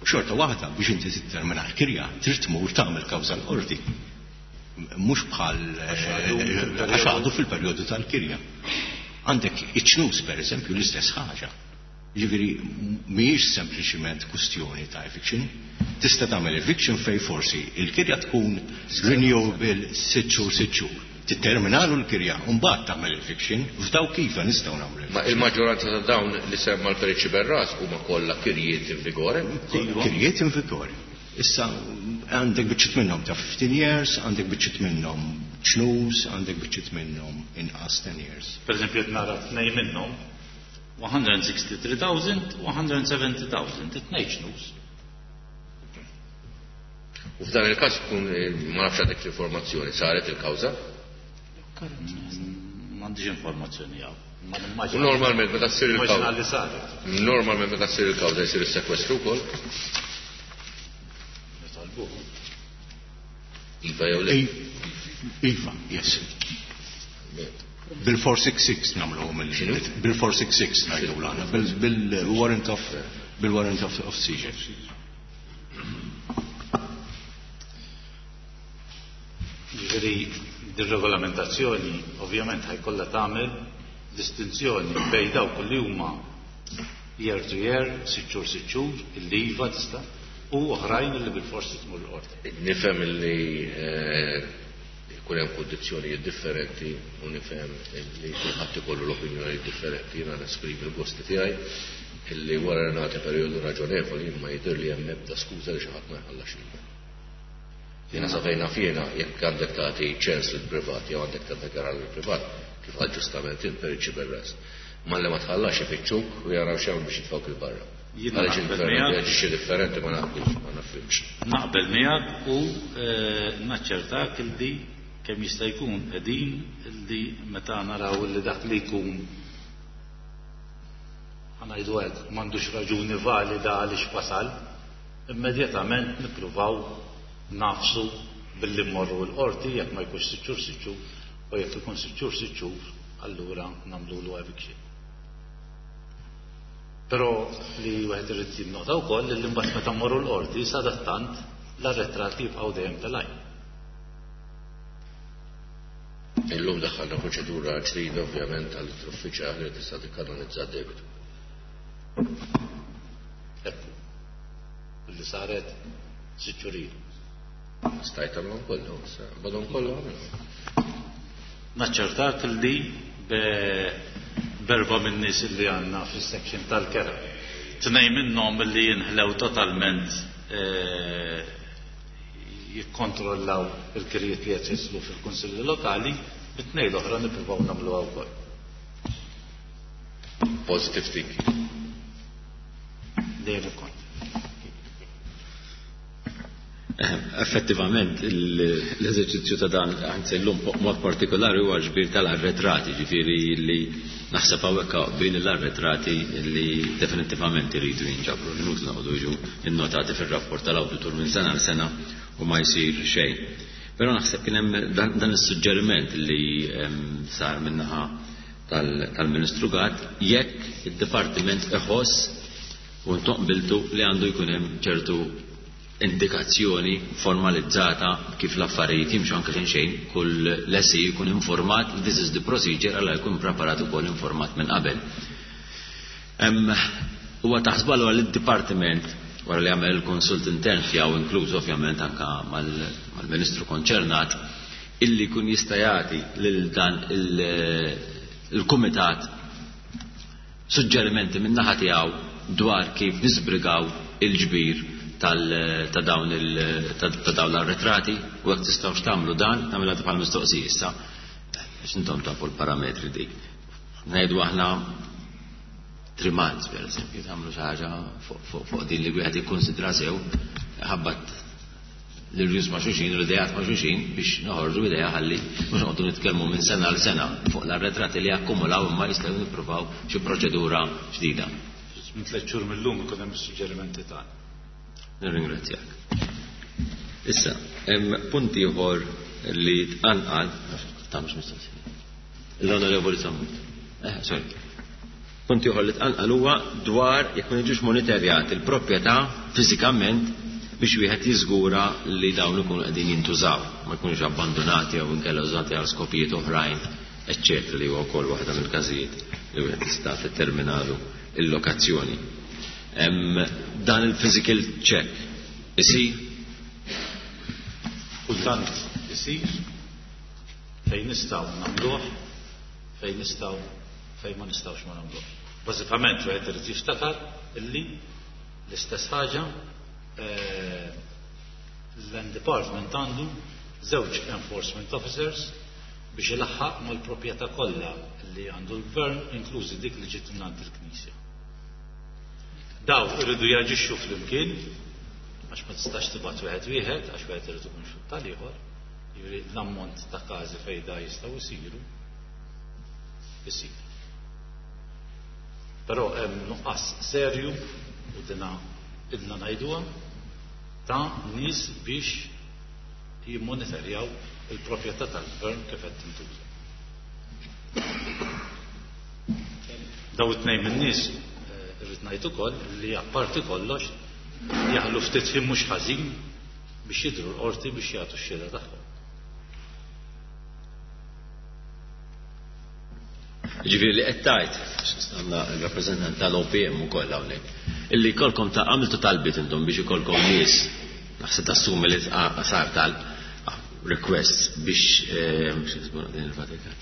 Xorta waħda biex inti tittermina l-kirja trid tmur tagħmel kawża l-qorti. Mhux bħal għax għadu fil-perjodu tal-kirja. Għandek iċ-ċnus per eżempju l-istess ħaġa. Ġifieri mhijiex sempliċiment kwistjoni ta' eviction. Tista' tagħmel eviction fej forsi il-kirja tkun renewable sitt xhur sitt xhur. Titterminalu l-kirja u mbagħad tagħmel eviction, f'daw kif nistgħu nagħmlu Ma il-maġġoranza ta' dawn li semma l-Perit Sciberras huma kollha kirjiet in vigore? Kirjiet in vigore. Issa għandek biċċiet minnhom ta' 15 years, għandek biċċiet minnhom ċnus, għandek biċċiet minnhom inqas 10 years. Per eżempju, qed nara tnej minnhom 163,000 u 170,000, it-tnejn ċnus. U f'dan il-każ tkun ma nafx għandek l-informazzjoni, saret il-kawża? M'għandix informazzjoni hawn. Ma U nimmaġina. normalment meta ssir Nimmaġina il-kawża. li saret. Normalment meta ssir il-kawża jsir is-sekwestru wkoll? Nitolbuh. Iva jew le? Iva, yes. Bil-466 nagħmluhom X'inhu? bil-466 ngħidu l-għana, bil-warrant of bil-warrant of seizure. Ġifieri dir-regolamentazzjoni ovvjament ħajkollha tagħmel distinzjoni bejn dawk li huma year to year, sitt xhur sitt xhur, illi iva tista' u oħrajn li bilforsi tmur l-qorti. Nifhem illi jkun hemm kundizzjonijiet differenti u nifhem illi kulħadd ikollu l-opinjonijiet differenti, jiena nesprimi l-gosti tiegħi illi wara li nagħti perjodu raġonevoli imma jidher li hemm ebda skuża li xi ħadd ma jħallax lilna. Jiena sa fejn naf jiena jekk għandek tagħti ċens lill-privat jew għandek tagħti kera lill-privat, kif qal ġustament int Perit Sciberras. Malli ma tħallax ifittxuk u jaraw x'jagħmlu biex jitfgħuk il barra. Jiena Għaliex naqbel il-gvern miegħek. jaġixxi differenti ma naqbilx, ma nafhimx. Naqbel miegħek u naċċertak illi kemm jista' jkun qegħdin illi meta naraw illi dak li jkun ħa ngħidu hekk m'għandux raġuni valida għaliex wasal, immedjatament nippruvaw nafsu billi mmorru l-qorti jekk ma jkunx sitt xhur sitt xhur u jekk ikun sitt xhur sitt xhur allura nagħmlulu eviction. Però li wieħed irid jinnota wkoll li mbagħad meta mmorru l-qorti sadattant l-arretrati jibqgħu dejjem telgħin. Illum daħħalna proċedura ġdida ovvjament għall-uffiċjali li tista' tikkanalizza d-debitu. Ekku. Li saret sitt xhur ilu. Stajt tagħmilhom kollha, issa badhom kollha għamilhom. Naċċertak li b'erba' min-nies li għandna fis-section tal-kera. Tnejn minnhom li jinħlew totalment jikkontrollaw il-kirjiet li qed jislu fil-kunsilli lokali, bit-tnejn l-oħra nippruvaw nagħmluha wkoll. Positive thinking. Dejjem ikun. Effettivament, l-eżerċizzju ta' dan, anzi llum mod partikolari huwa ġbir tal-arretrati, ġifieri li naħseb hawnhekk bejn l-arretrati li definittivament iridu jinġabru, li inutli noqogħdu jiġu innotati fir-rapport tal-awditur minn sena għal sena u ma jsir xejn. Però naħseb kien hemm dan is-suġġeriment li sar min-naħa tal-Ministru Gatt jekk id-Dipartiment iħoss u intom qbiltu li għandu jkun hemm ċertu indikazzjoni formalizzata kif l-affarijiet jimxu anke xejn xejn kull lessee jkun informat this is the procedure għalla jkun preparat ukoll informat minn qabel. Huwa taħsbu allura li d-dipartiment wara li għamel il-konsult intern tiegħu inkluż ovvjament anke mal-Ministru konċernat illi jkun jista' jagħti lil dan il-kumitat suġġerimenti min-naħa tiegħu dwar kif niżbrigaw il-ġbir ta' dawn ta' dawn l-arretrati u jekk tistgħux tagħmlu dan, nagħmilha bħal mistoqsija issa biex intom tafu l-parametri dik. Ngħidu aħna 3 months per eżempju, tagħmlu xi ħaġa fuq din li wieħed jikkonsidra sew ħabbat l-irjus ma' xulxin u l-idejat ma' xulxin biex noħorġu idea ħalli mhux noqogħdu nitkellmu minn sena għal sena fuq l-arretrati li akkumulaw imma jistgħu nippruvaw xi proċedura ġdida. Minn 3 xhur mill-lum ikun hemm is-suġġerimenti tagħna. Nirringrazzjak. Issa, hemm punt ieħor li tqanqal, tagħmlux mistoqsija. L-Onorevoli Sammut. Sorry. Punt ieħor li tqanqal huwa dwar jekk ma jiġux monitorjat il-proprjetà fiżikament biex wieħed jiżgura li dawn ikunu qegħdin jintużaw, ma jkunux abbandonati jew inkella użati għal skopijiet oħrajn, eċċetera, li huwa wkoll waħda mill-każijiet li wieħed jista' titterminalu il-lokazzjoni. Dan il-physical check isir? Kultant isir, fejn nistgħu nagħmluh, fejn nistgħu, fejn ma nistgħux ma nagħmluh. Bażikament wieħed irid jiftakar illi l-istess ħaġa l-Land Department għandu żewġ enforcement officers biex ilaħħaq mal-proprjetà kollha li għandu l-gvern, inklużi dik li ġiet mingħand il-Knisja. Daw iridu jaġixxu flimkien, għax ma tistax tibgħat wieħed wieħed, għax wieħed irid ikun xut tal-ieħor, jiġifieri l-ammont ta' każi fejn da jistgħu jsiru isir. Però hemm nuqqas serju u dina idna ngħiduha ta' nies biex jimmonitorjaw il-proprjetà tal-gvern kif qed tintuża. Daw it-tnejn min-nies irrid ngħid ukoll li apparti kollox jaħlu ftit ħin mhux ħażin biex jidhru l-qorti biex jagħtu x-xhieda tagħhom. Ġifieri li qed tgħid, għandna l-rappreżentant tal-OPM ukoll hawnhekk, illi jkollkom ta' għamiltu talbiet intom biex ikollkom nies, naħseb tassumi li sar talb request biex din il-Vatikan.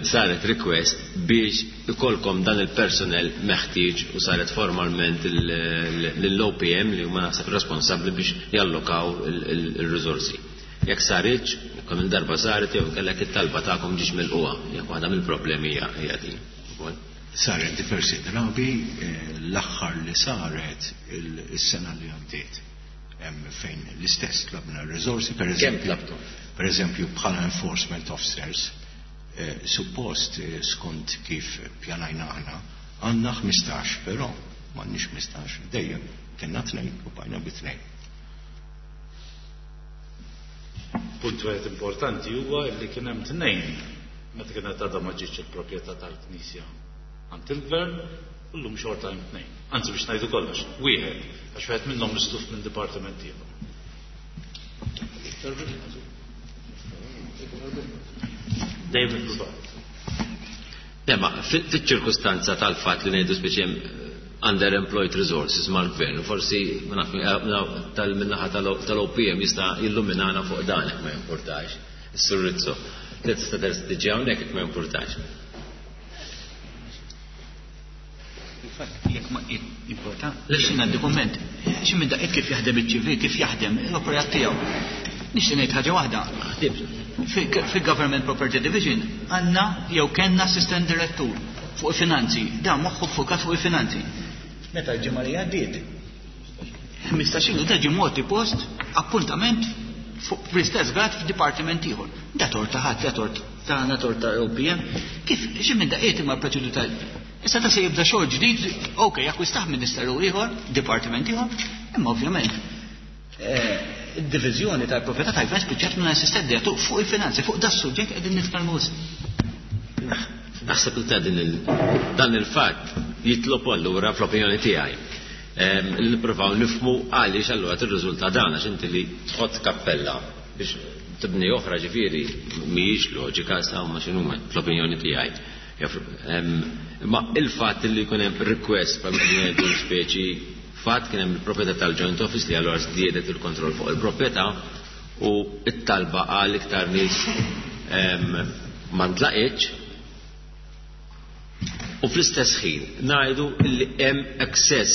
Saret request biex ikollkom dan il-personnel meħtieġ u saret formalment lill-OPM li huma naħseb responsabbli biex jallokaw il-riżorsi. Jekk saritx, kemm il-darba saret jew kellek it-talba tagħkom ġiex milquha, jekk waħda mill-problemi hija din. Saret diversi drabi, l-aħħar li saret is-sena li għaddiet. Hemm fejn l-istess tlabna r-riżorsi, per Kemm eżempju, tlabtu? per eżempju bħala enforcement officers, suppost skont kif pjanajna aħna, għandna 15, però m'għandniex 15, dejjem kellna 2 u bajna bi 2. Punt wieħed importanti huwa li kien hemm 2 meta kienet għadha ma ġietx il-proprjetà tal-Knisja għand il-Gvern, u llum xorta hemm 2. Anzi biex ngħidu kollox, wieħed, għax wieħed minnhom misluf minn dipartiment ieħor. Dejjem ippruvat. Le, ma fiċ-ċirkustanza tal-fatt li ngħidu speċi hemm underemployed resources mal-gvern. Forsi tal-minnaħa tal-OPM jista' jilluminana fuq dan jekk ma jimpurtax. Is-Sur Rizzo. Tista' tiġi hawnhekk jekk ma jimpurtax. Fil-fatt, jekk ma jimporta, le xi ngħaddi kumment. Xi minn daqqiet kif jaħdem iċ-ċivil, kif jaħdem l-operat tiegħu. Nixtieq ngħid ħaġa waħda. Fil-Government Property Division għandna jew kellna assistant direttur fuq il-finanzi, dan moħħu ffukat fuq il-finanzi. Meta l-ġimgħa li għaddiet, 15 ilu da ġie mogħti post appuntament fuq fl-istess grad f'dipartiment ieħor. Da tort ta' ħadd, da tort tagħna, tort ta' OPM. Kif xi minn daqqiet imma l-proċedura ta' Issa ta' se jibda xogħol ġdid, ok, jakkwistah ministeru ieħor, dipartiment ieħor, imma ovvjament id-diviżjoni tal-proprjetà tal-gvern spiċċat minn assistent direttur fuq il-finanzi, fuq da suġġett qegħdin nitkellmu Naħseb li ta' din dan il-fatt jitlob allura fl-opinjoni tiegħi li nippruvaw nifhmu għaliex allura tirriżulta dan, għax inti li tħott kappella biex tibni oħra, ġifieri mhijiex loġika sa huma x'inhuma fl-opinjoni tiegħi. Imma il-fatt li jkun hemm request bħal ngħidu speċi fatt kien hemm il-proprjetà tal-joint office li allura żdiedet il-kontroll fuq il-proprjetà u t-talba għal iktar nies ma ntlaqitx, u fl-istess ħin ngħidu li hemm excess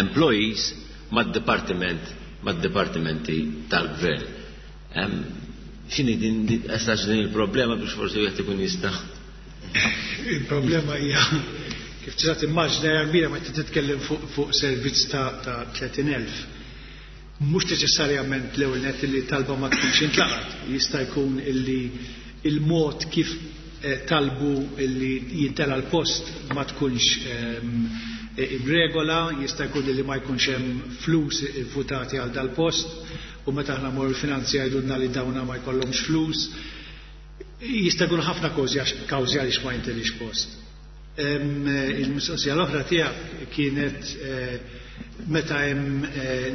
employees mad-dipartiment mad-dipartimenti tal-gvern. X'inhi din essax din il-problema biex forsi wieħed ikun jista'? Il-problema hija, kif tista' timmaġina, hija kbira meta titkellem fuq servizz ta' 30,000. Mhux neċessarjament l-ewwel nett li talba ma tkunx intlaqat. Jista' jkun illi il-mod kif talbu illi jintela l-post ma tkunx imregola, jista' jkun illi ma jkunx hemm flus votati għal dal-post, u meta aħna mmorru l-finanzi jgħidulna li dawna ma jkollhomx flus. Jista' jkun ħafna kawżi għaliex ma jintelix post. Il-mistoqsija l-oħra tiegħek kienet meta hemm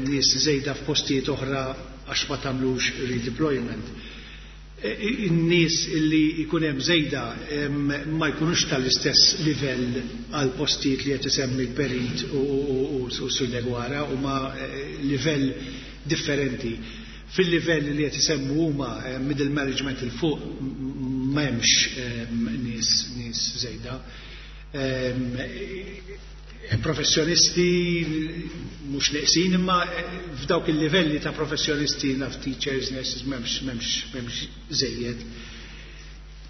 nies żejda f'postijiet oħra għax ma tagħmlux redeployment. In-nies illi jkun hemm żejda ma jkunux tal-istess livell għal postijiet li qed isemmi l-perit u Sur Deguara, huma livell differenti. Fil-livell li qed isemmu huma middle management il fuq m'hemmx nies żejda. Professjonisti mhux neqsin, imma f'dawk il-livelli ta' professjonisti naf teachers, nurses, m'hemmx żejjed.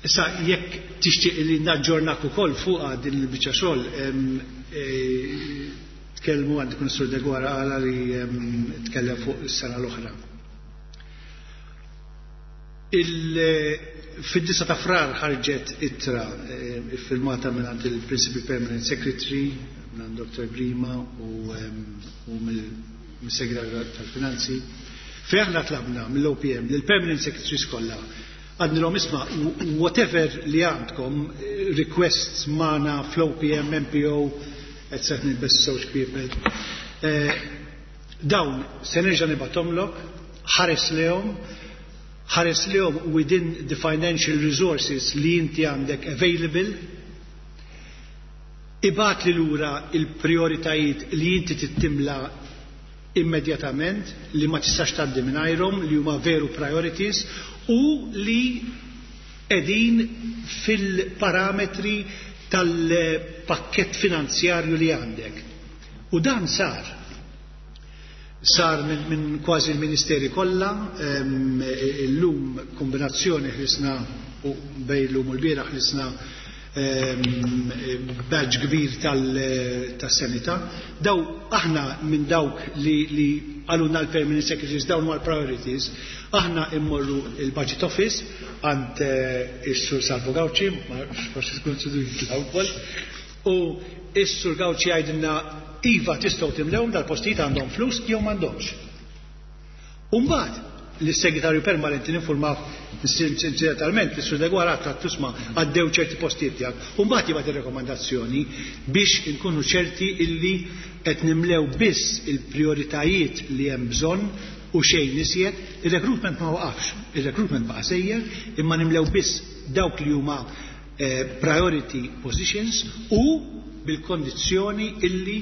Issa jekk tixtieq li naġġornak ukoll fuqha din il-biċċa xogħol, tkellmu għand ikun Sur Deguara qala li tkellem fuq is-sena l-oħra. Fid-9 ta' Frar ħarġet ittra iffirmata minn għand il-Principal Permanent Secretary, minn għand Dr. Grima u mill-Segretarju tal-Finanzi, fejn aħna tlabna mill-OPM lill-Permanent Secretaries kollha, għadnilhom isma' whatever li għandkom requests magħna fl-OPM, MPO, et cetera, nilbes żewġ kwiepel. Dawn se nerġa' nibgħathomlok, ħares lehom, ħares lehom within the financial resources li inti għandek available, ibgħat li lura il-prioritajiet li inti tittimla immedjatament, li ma tistax tgħaddi mingħajrhom, li huma veru priorities u li qegħdin fil-parametri tal-pakkett finanzjarju li għandek. U dan sar. Sar minn kważi l-ministeri kollha, illum kombinazzjoni ħlisna u bejn l-lum u l-bieraħ ħlisna badge kbir tas-sanità. Daw aħna minn dawk li qalulna l-permanent secretaries dawn huma l-priorities, aħna immorru il-budget office għand is-Sur Salvo Gauci, ma forsi tkun jitlaw ukoll, u is-Sur Gauci jgħidilna iva tistgħu timlewhom dal-postijiet għandhom flus jew m'għandhomx. U mbagħad l-segretarju permanenti ninformaw sinċerament is-Sur Deguara għad tusma għaddew ċerti postijiet tiegħek. U mbagħad jibgħat ir-rekomandazzjoni biex inkunu ċerti illi qed nimlew biss il-prioritajiet li hemm bżonn u xejn iżjed. Ir-recruitment ma waqafx, ir-recruitment baqa' sejjer, imma nimlew biss dawk li huma priority positions u bil-kondizzjoni illi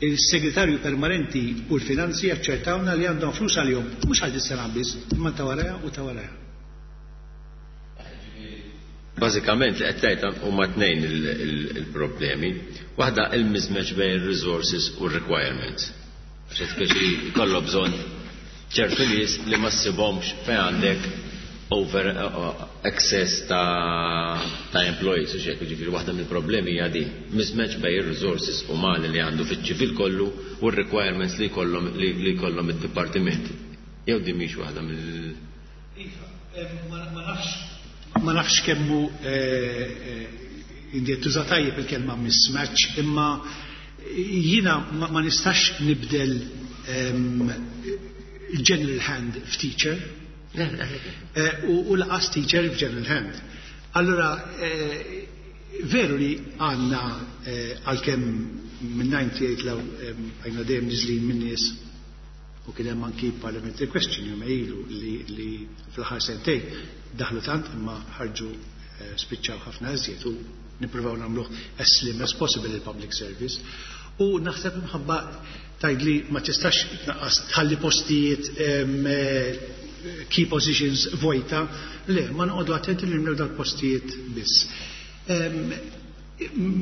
il-segretarju permanenti u l-finanzi jaċċertawna li għandhom flus għalihom, mhux għal dis-sena biss, imma ta' warajha u ta' warajha. Bażikament li qed tgħid huma tnejn il-problemi. Waħda il-mismatch bejn resources u requirements. Għax speċi jkollok bżonn ċertu nies li ma ssibhomx fejn għandek over excess ta' employees, u xek, ġifieri waħda mill-problemi hija din. Mismatch bejn ir-resources umani li għandu fiċ-ċivil kollu u r-requirements li jkollhom li jkollhom id-dipartimenti. Jew din mhix waħda mill Iva, ma nafx kemmu inti tuża tajjeb il-kelma mismatch, imma jiena ma nistax nibdel general hand f'teacher u lanqas teacher f'general hand. Allora, veru li għandna, għalkemm minn 98 law għajna dejjem niżlin minn nies u kien hemm anki parliamentary question jum ilu li fl-aħħar sentejn daħlu tant imma ħarġu, spiċċaw ħafna iżjed, u nippruvaw nagħmluh as slim as possible il-public service. U naħseb imħabba tgħidli ma tistax tnaqqas, tħalli postijiet, key positions vojta, le, ma noqogħdu attenti li nimlew dal-postijiet biss.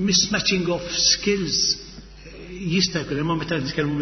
Mismatching of skills jista' jkun, imma meta nitkellmu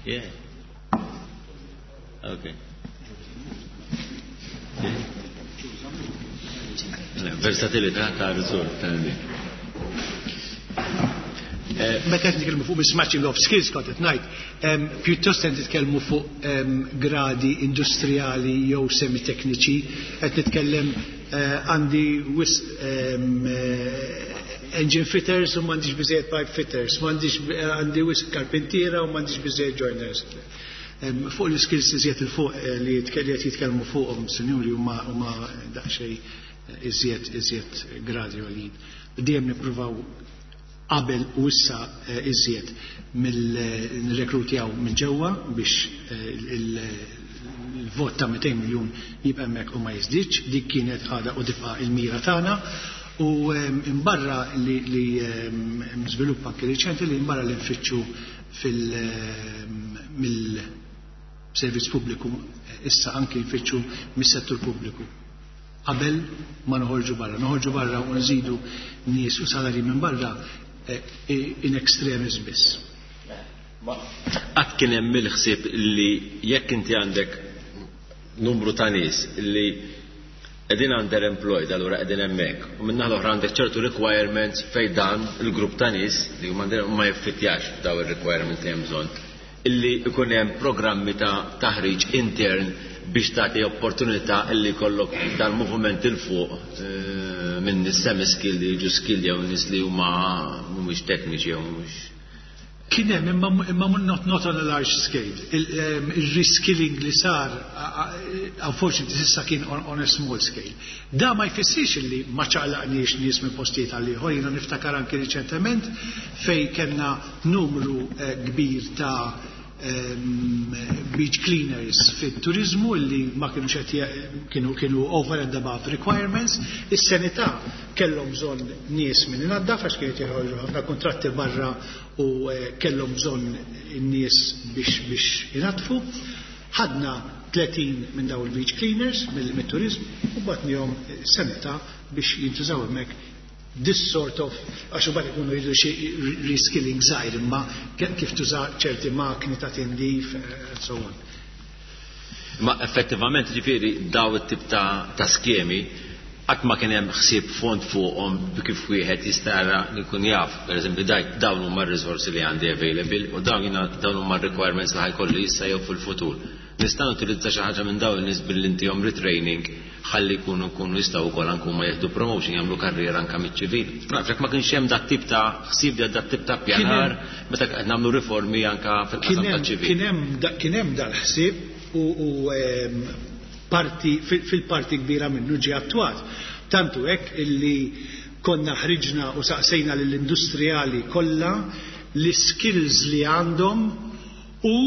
Yeah. Okay. Versatilità ta' riżort tal Meta qed nitkellmu fuq mismatching of skills, kont qed ngħid, pjuttost qed nitkellmu fuq gradi industrijali jew semitekniċi, qed nitkellem għandi wisq engine fitters u m'għandix biżejjed pipe fitters, m'għandix, għandi wisq karpentiera u m'għandix biżejjed joiners. Fuq l-skills iżjed il-fuq li qed jitkellmu fuqhom sinjuri huma daqsxejn iżjed gradi għolin. Dejjem nippruvaw qabel u issa iżjed mill-rekrutjaw minn ġewwa biex il-vot ta' 200 miljun jibqa' hemmhekk u ma jiżdiedx. Dik kienet, għadha u tibqa' il-mira tagħna. U imbarra li żviluppa anke riċenti li imbarra li nfittxu fil mill-servizz pubbliku, issa anke nfittxu mis-settur pubbliku qabel ma noħorġu barra. Noħorġu barra u nżidu nies u salari minn barra in extremis biss. Qatt kien hemm il-ħsieb li jekk inti għandek numru ta' nies li qegħdin underemployed, allura qegħdin hemmhekk. U minn naħa l-oħra għandek ċertu requirements fejn dan il-grupp ta' nies li huma ma jiffittjax f'daw ir-requirements li hemm bżonn, illi ikun hemm programmi ta' taħriġ intern biex tagħti opportunità illi jkollok dal-movement il fuq minn nies semi-skilled li jiġu skilled jew nies li huma mhumiex tekniċi jew mhumiex. Kien hemm, imma not on a large scale. Il-reskilling li sar, unfortunately, s'issa kien on a small scale. Da ma jfissirx li ma ċaqlaqniex nies minn postijiet għal ieħor. Jiena niftakar anke riċentement fej kellna numru kbir ta' beach cleaners fit-turizmu li ma kienu qed kienu over and above requirements. Is-sanità kellhom bżonn nies minn inaddaf għax kienet jeħorġu ħafna kontratti barra u kellhom bżonn in-nies biex inaddfu. Ħadna 30 minn daw il-beach cleaners mill-turizmu u bgħatnihom sanità biex jintużaw hemmhekk, this sort of, għax imbagħad ikunu jridu xi reskilling żgħir, imma kif tuża ċerti makni ta' tindif and so on. Ma effettivament ġifieri daw it-tip ta' skemi qatt ma kien hemm ħsieb fond fuqhom kif wieħed jista' jara li jkun jaf, pereżempju dawn huma r-riżorsi li għandi available u dawn jiena dawn huma r-requirements li ħa jkolli issa jew fil-futur. Nista' nutilizza xi ħaġa minn dawn in-nies billi ntihom retraining ħalli jkunu jkunu jistgħu wkoll anke huma jieħdu promotion jagħmlu karriera anke miċ-ċivil. Ma nafx jekk ma kienx hemm dat tip ta' ħsieb dat tip ta' ppjanar meta qed nagħmlu riformi anke fil-qasam taċ-ċivil. Kien hemm dal-ħsieb u parti fil-parti kbira minnu ġie attwat. Tant hu hekk illi konna ħriġna u saqsejna lill-industrijali kollha l-iskills li għandhom u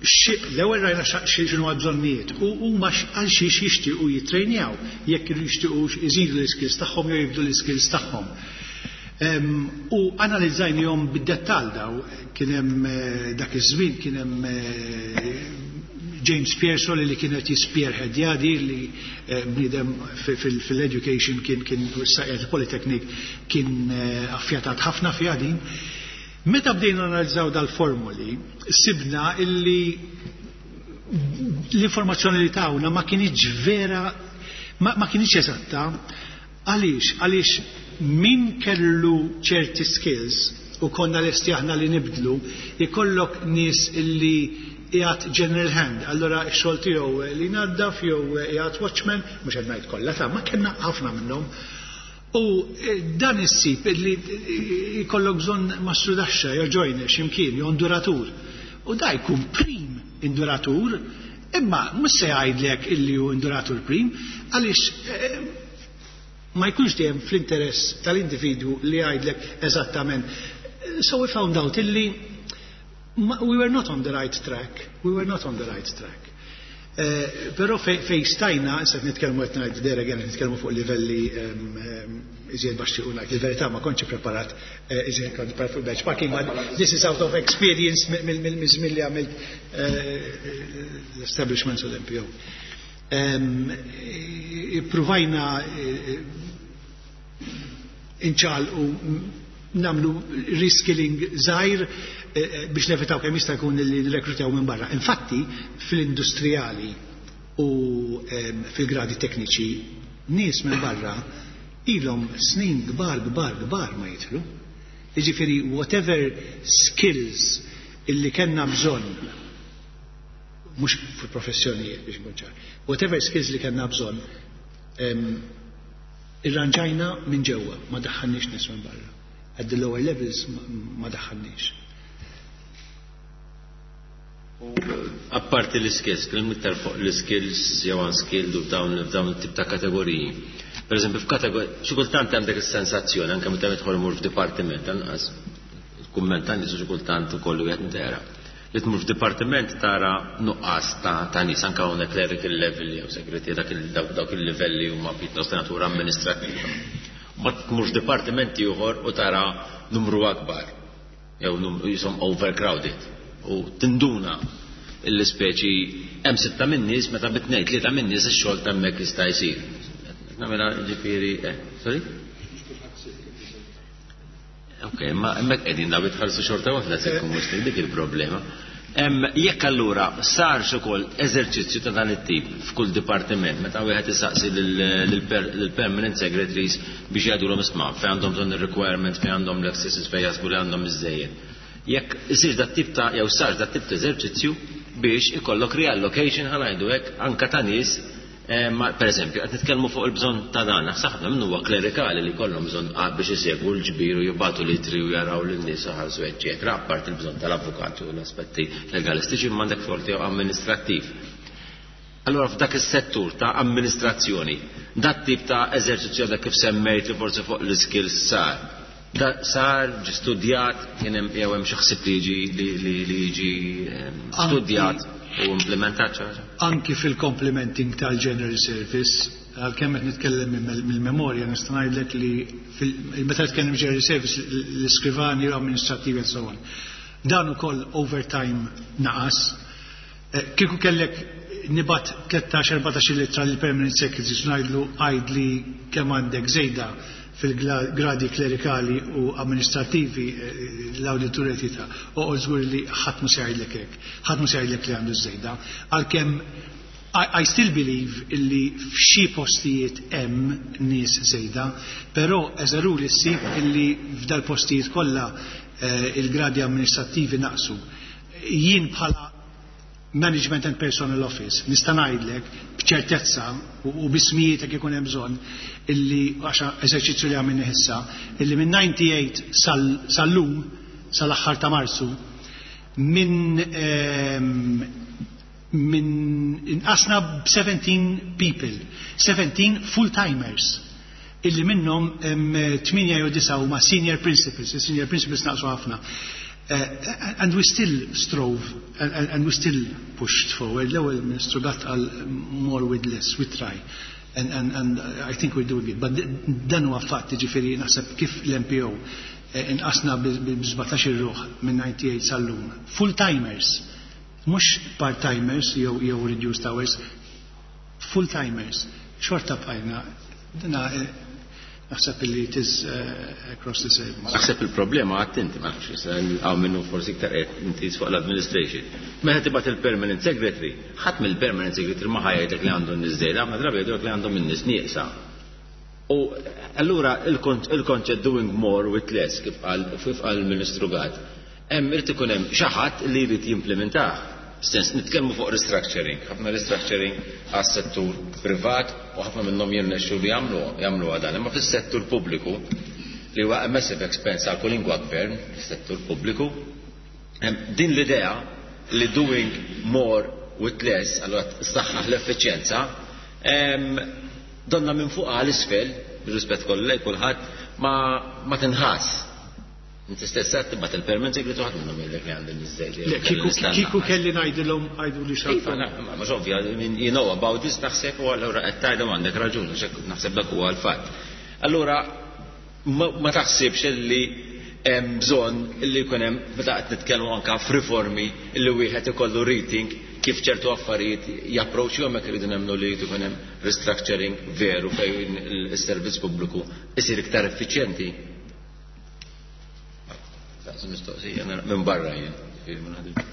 l-ewwel rajna x'inhuma l-bżonnijiet u huma għal xiex jixtiequ jittrejnjaw, jekk jixtiequx iżidu l-iskills tagħhom jew jibdlu l-iskills tagħhom. U analizzajnihom bid-dettall daw, kien hemm dak iż-żmien kien hemm James Pearsall li kien qed jispierħedja di li bniedem fil-education kien kien issa Polytechnic kien affjatat ħafna fiha din. Meta bdejna analizzaw dal-formuli, sibna illi l-informazzjoni li tawna ma kinitx vera, ma kinitx eżatta. Għaliex? Għaliex min kellu ċerti skills u konna lesti aħna li nibdlu, ikollok nies illi qiegħed general hand, allura x-xogħol tiegħu li jnaddaf jew qiegħed watchman, mhux qed ngħid kollha ta' ma kellna ħafna minnhom. U dan issib li jkollok bżonn mastrudaxxa jew joiner x'imkien jew induratur. U da jkun prim induratur, imma mhux se jgħidlek illi hu induratur prim, għaliex ma jkunx dejjem fl-interess tal-individwu li jgħidlek eżattament. So we found out illi we were not on the right track. We were not on the right track. Però fej stajna, issa nitkellmu qed ngħid there again, nitkellmu fuq livelli iżjed baxxi u ngħid il-verità ma kontx preparat iżjed kont preparat fuq benchmarking, but this is out of experience mill-żmien li għamilt l-establishments u l-MPO. Provajna inċaqalqu nagħmlu reskilling żgħir biex nevitaw kemm jista' jkun li nrekrutaw minn barra. Infatti, fl-industrijali u fil-gradi tekniċi nies minn barra ilhom snin kbar kbar kbar ma jidħlu. Jiġifieri whatever skills illi kellna bżonn mhux fil-professjonijiet biex nkun ċar, whatever skills li kellna bżonn irranġajna minn ġewwa, ma daħħalniex nies minn barra. At the lower levels ma daħħalniex. Apparti l-skills, kien iktar fuq l-skills jew unskilled u f'dawn it-tip ta' kategoriji. Per eżempju, f'kategoriji, xi kultant għandek is-sensazzjoni anke meta tidħol mur f'dipartiment, anqas kumment tan nies xi kultant ukoll wieħed intera. Li tmur f'dipartiment tara nuqqas ta' nies anke hawnhekk clerical level jew segretary dawk il-livelli huma pjuttost ta' natura amministrattiva. Ma tmur f'dipartiment ieħor u tara numru akbar jew jisom overcrowded u tinduna l-ispeċi hemm sitta minn nies meta bitnejn tlieta minn nies ix-xogħol ta' hemmhekk jista' jsir. Nagħmilha ġifieri, sorry? Ok, ma hemmhekk qegħdin daw jitħallsu xorta waħda se jkun mhux dik il-problema. Jekk allura sarx ukoll eżerċizzju ta' dan it-tip f'kull dipartiment, meta wieħed isaqsi lill-permanent secretaries biex jgħidulhom isma' fejn għandhom bżonn ir-requirement, fejn għandhom l-accesses, fejn jaħsbu li għandhom iżżejjed. Jekk isir dat tip ta' jew sarx dat tip ta' eżerċizzju biex ikollok reallocation ħa ngħidu hekk anka ta' nies ma, per eżempju, qed nitkellmu fuq il-bżonn ta' dan, naħseb ħafna minnu huwa klerikali li jkollhom bżonn biex isegwu l-ġbir u jibgħatu l-ittri u jaraw lin-nies iħallsu eċċetera, apparti il-bżonn tal-avukati u l-aspetti legalistiċi imma għandek xogħol tiegħu amministrattiv. Allora f'dak is-settur ta' amministrazzjoni, dat tip ta' eżerċizzju dak kif semmejt li forsi fuq l-skills sar. Da sar ġi studjat, kien hemm jew hemm xi ħsieb li jiġi li jiġi studjat u implementat xi ħaġa? Anki fil-complementing tal-General Service, għalkemm qed nitkellem mill-memorja nista' ngħidlek li meta nitkellem General Service l-iskrivani u amministrativi and so on. Dan ukoll overtime naqas. Kieku kellek nibgħat 13-14 littra lil permanent secretaries ngħidlu għidli kemm għandek żejda fil-gradi klerikali u amministrativi l-awditur qed jita' oqgħod żgur li ħadd mhu se jgħidlek hekk. Ħadd mhu se jgħidlek li għandu żejda. Għalkemm I still believe illi f'xi postijiet hemm nies żejda, però as a rule issib illi f'dal-postijiet kollha il-gradi amministrattivi naqsu. Jien bħala Management and Personnel Office nista' ngħidlek b'ċertezza u b'ismijiet jekk ikun hemm bżonn illi għax eżerċizzju li għamilni issa illi minn 98 sal-lum sal-aħħar ta' Marzu minn minn inqasna b'17 people, 17 full-timers illi minnhom 8 jew 9 huma senior principals, il-senior principals naqsu ħafna. And we still strove and we still pushed forward. L-ewwel Ministru Gatt qal more with less, we try. And I think we're doing it. But dan huwa fatt, jiġifieri naħseb kif l-MPO inqasna bi 17 ruħ minn 98 sal-lum. Full-timers, mhux part-timers jew reduced hours, full-timers. Xorta bqajna, dina naħseb illi it is across the service. Naħseb il-problema għat inti, ma nafx, għaw minnu forsi iktar qed inti fuq l-administration. Meta tibgħat il-permanent secretary, ħadd mill-permanent secretary ma ħa jgħidlek li għandu n-nies żejda, ħafna drabi jgħidulek li għandhom in-nies nieqsa. U allura il-konċett doing more with less, kif qal il-Ministru Gatt, hemm irid ikun hemm xi ħadd li jrid jimplementah. Sens nitkellmu fuq restructuring, ħafna restructuring għas-settur privat u ħafna minnhom jirnexxu li jagħmlu dan, imma fis-settur pubbliku li huwa massive expense għal kwalinkwa gvern, fis-settur pubbliku, din l-idea li doing more with less, allura tsaħħaħ l-effiċjenza, donna minn fuq għal isfel, bir-rispett kollu lejn kulħadd, ma tinħass. Inti stess qed tibgħat il-permanent secretary ħadd minnhom jgħidlek li għandhom iż-żejt. Le, kieku kelli ngħidilhom għidu li xalfa. Iva, ma mhux ovvja, I mean, you know about this naħseb u allura qed tgħidhom għandek raġun, għax hekk naħseb dak huwa l-fatt. Allura ma taħsibx li hemm bżonn li jkun hemm meta qed nitkellmu anke f'riformi li wieħed ikollu rethink kif ċertu affarijiet japproċċju hemmhekk iridu nemmnu li jrid ikun hemm restructuring veru fejn is-servizz pubbliku isir iktar effiċjenti. Mistoqsija minn barra jien, ġifieri ma naħdimx.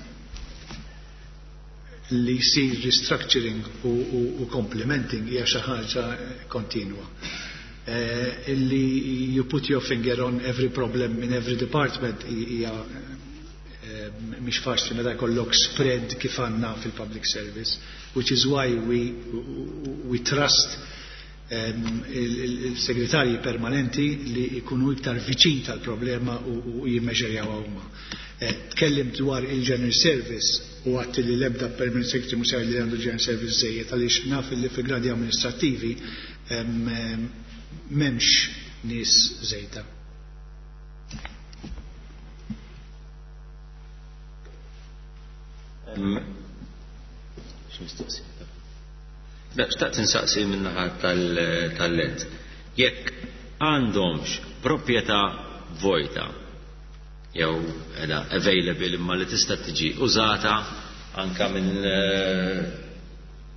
Li jsir restructuring u complementing hija xi ħaġa kontinwa. Illi you put your finger on every problem in every department hija mhix faċli meta jkollok spread kif għandna fil-public service, which is why we trust il-segretarji permanenti li jkunu iktar viċin tal-problema u jimmeġerjaw huma. Tkellim dwar il-General Service u għatti li l-ebda permanent secretary mhux li għandu General Service żejjed għaliex naf li fi gradi amministrattivi m'hemmx nies żejda. X'mistoqsija? Xtaqt insaqsi min-naħa tal-lent. Jekk għandhomx proprjetà vojta jew edha available imma li tista' tiġi użata anka minn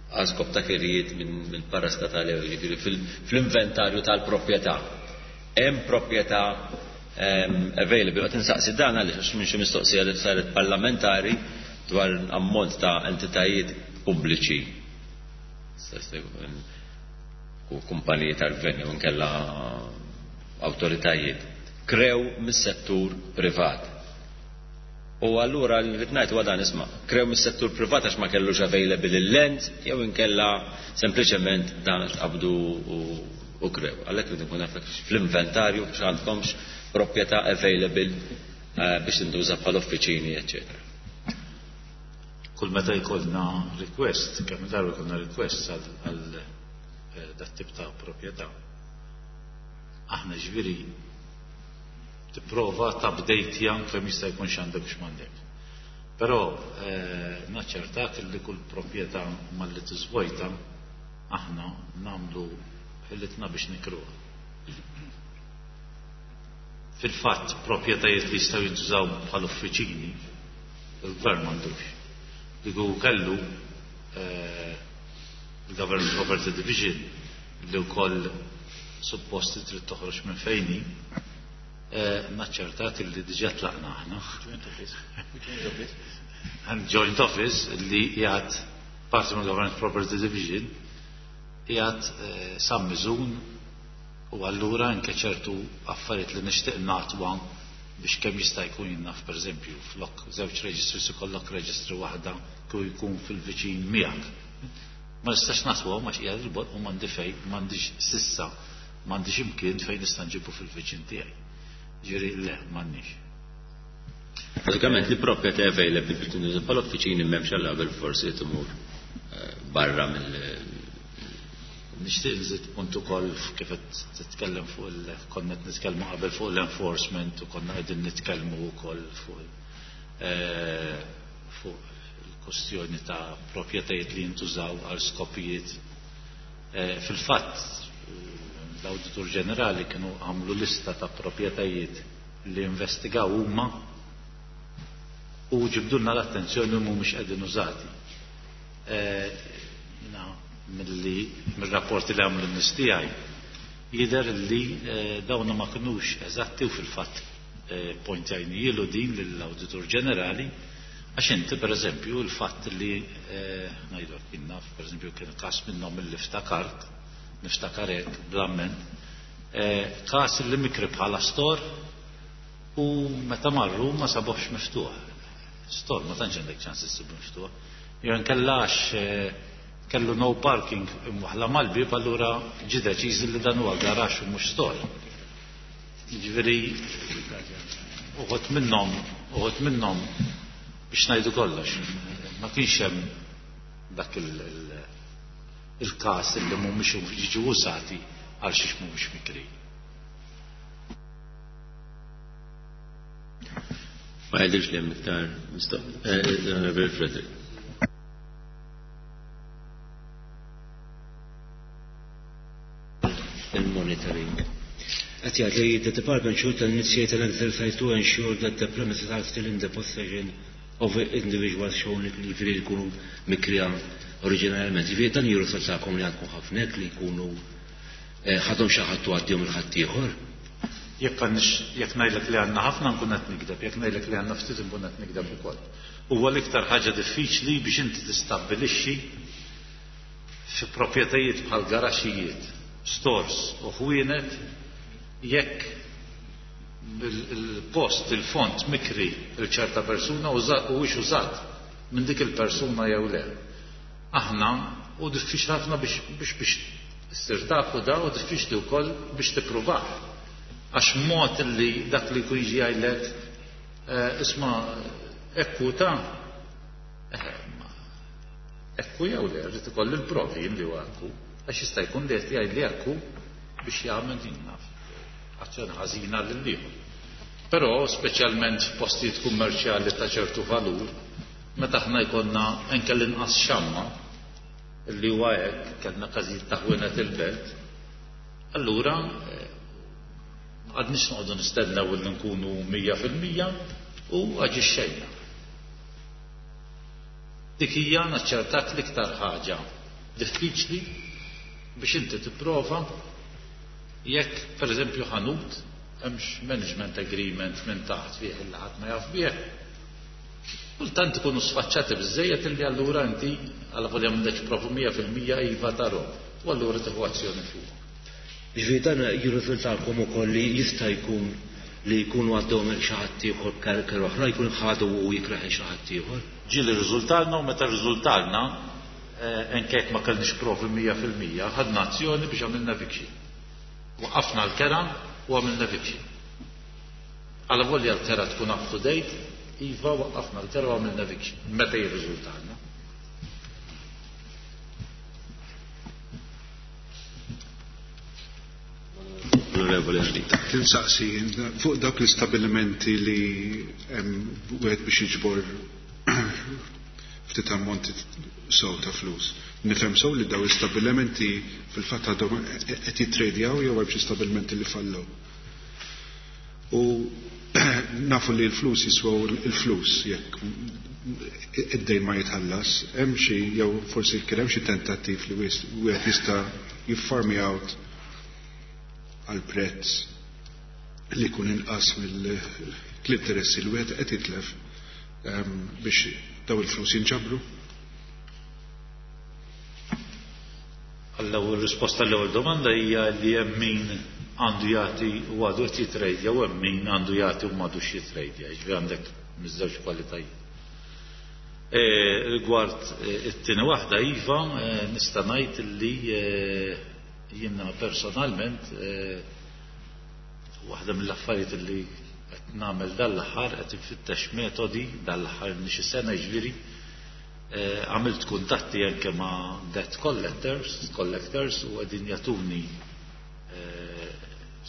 għal skop ta' kirjiet minn parastatali, jiġifieri fl-inventarju tal-proprjetà. Hemm proprjetà available. Qed insaqsi dan għaliex għax minn xi mistoqsija li saret parlamentari dwar ammont ta' entitajiet pubbliċi u kumpaniji tal-gvern jew inkella awtoritajiet krew mis-settur privat. U allura li rrid ngħid huwa dan isma' krew mis-settur privat għax ma kellux available il-land jew inkella sempliċement dan għax qabdu u krew. Għalhekk rrid nkun naf fl-inventarju biex għandkomx proprjetà available biex tintuża bħal uffiċini, eċċetera. Kull meta jkollna request, kemm darba jkollna request għal dat tip ta' proprjetà. Aħna ġifieri tipprova tabdejtja kemm jista' jkun x'għandek u x'm'għandek. Però naċċertak li kull proprjetà malli tiżvojta aħna nagħmlu ħilitna biex nikruha. Fil-fatt proprjetajiet li jistgħu jintużaw bħal uffiċini il-gvern m'għandux. Diku kellu il-Government Property Division li wkoll supposti trid toħroġ minn fejni, naċċertak li diġà tlaqna aħna. Joint office. Joint office. And joint office li qiegħed Parti mill Government Property Division qiegħed San Miżun u allura anke ċertu affarijiet li nixtieq natwa biex kemm jista' jkun jien naf pereżempju flok żewġ registries ikollok registry waħda kieku jkun fil-viċin miegħek. Ma nistax natwahom għax qiegħed il-bogħod u m'għandi fejn m'għandix s'issa m'għandix imkien fejn nista' nġibu fil-viċin tiegħi. Ġifieri le m'għandniex. Bażikament li proprjetà available biex tintuża bħala uffiċini m'hemmx għal qabel forsi tmur barra mill Nixtieq nżid punt ukoll kif qed titkellem fuq il konna qed nitkellmu qabel fuq l-enforcement u konna qegħdin nitkellmu wkoll fuq fuq il-kwestjoni ta' proprjetajiet li jintużaw għal skopijiet. Fil-fatt l-Awditur Ġenerali kienu għamlu lista ta' proprjetajiet li investigaw huma u ġibdulna l-attenzjoni li mhumiex qegħdin użati. Jiena milli mir-rapporti li għamlu n-nies tiegħi jidher li dawn ma kinux eżatti u fil-fatt pointjajnijielu din lill-Awditur Ġenerali għax inti pereżempju l-fatt li ngħidlek jien naf pereżempju kien każ minnhom illi ftakart niftakar hekk bl-amment każ li mikri bħala store u meta marru ma sabuhx miftuħ. Store ma tantx għandek ċans issibu miftuħ. Jew inkella għax kellu no parking imwaħħla mal-bieb allura ġie deċiż li dan huwa garaxx u mhux store. Jiġifieri uħud minnhom uħud minnhom biex ngħidu kollox ma kienx hemm dak il-każ li mhumiex jiġu użati għal xiex mhumiex mikri. Ma jidhirx li hemm iktar mistoqsijiet. Frederick. Il-monitoring. Qed jgħid li the department should initiate an exercise to ensure that the premises are still in the possession of individuals shown li jiġifieri jkunu mikrija oriġinarjament. Jiġifieri dan jirriżultakom li għandkom ħafna hekk li jkunu ħadhom xi ħadd u għaddihom il ħaddieħor. Jekk għandix jekk ngħidlek li għandna ħafna nkun qed nikdeb, jekk ngħidlek li għandna ftit nkun qed nikdeb ukoll. Huwa l-iktar ħaġa diffiċli biex inti tistabbilixxi fi proprjetajiet bħal garaxijiet, stores u ħwienet jekk il-post, il-fond mikri il ċerta persuna huwiex użat minn dik il-persuna jew le. Aħna u diffiċli ħafna biex biex biex issir tafu da u diffiċli wkoll biex tippruvah. Għax mod li dak li jkun jiġi jgħidlek isma' ekku ta' ekku jew le, rrid ikolli l-provi li huwa ekku. Għax jista' jkun li qed jgħid li ekku biex jagħmel din naf azzjoni ħażina lil ieħor. Però speċjalment f'postijiet kummerċjali ta' ċertu valur, meta aħna jkollna anke l-inqas xamma li huwa hekk, kellna każijiet ta' ħwienet il-belt, allura għadniex noqogħdu nistennew li nkunu 100% u aġixxejna. Dik hija naċċertak l-iktar ħaġa diffiċli biex inti tipprova jekk pereżempju ħanut hemmx management agreement minn taħt fih illi ħadd ma jaf bih. Kultant ikunu sfaċċati biżejjed illi allura inti għal volja m'għandekx provu 100% iva tarhom u allura tieħu azzjoni fuq. Ġifieri dan jirriżultalkom ukoll li jista' jkun li jkunu għaddhom xi ħadd ieħor b'karker oħra, jkun ħadu u jikraħ xi ħadd ieħor. Ġieli rriżultalna u meta rriżultalna anke jekk ma kellniex provi 100% ħadna azzjoni biex għamilna eviction. Waqqafna l-kera u għamilna eviction. Għala volja l-kera tkun up to date, iva waqqafna l-kera u għamilna eviction. Meta jirriżultalna. Onorevoli Ardita. Tinsaqsi fuq dawk l-istabilimenti li hemm wieħed biex jiġbor ftit ammonti sew ta' flus. Nifhem sew li daw l-istabilimenti fil-fatt għadhom qed jittradjaw jew hemm xi stabilimenti li fallew. U nafu li l-flus jiswew il-flus jekk id-dejn ma jitħallas, hemm xi jew forsi kien hemm xi tentattiv li wieħed jista' jiffarmi out għal prezz li jkun inqas mill-interessi li wieħed qed jitlef biex daw il-flus jinġabru? Għall-ewwel risposta l-ewwel domanda hija li hemm min għandu jagħti u għadu qed jitrejdja u hemm min għandu jagħti u m'għadux jitrejdja, jiġifieri għandek miż-żewġ kwalitajiet. Rigward it-tieni waħda iva, nista' ngħid li jiena personalment waħda mill-affarijiet li qed nagħmel dan l-aħħar qed infittex metodi dan l-aħħar xi sena jiġifieri għamilt kuntatti anke ma' debt collectors, collectors u qegħdin jagħtuni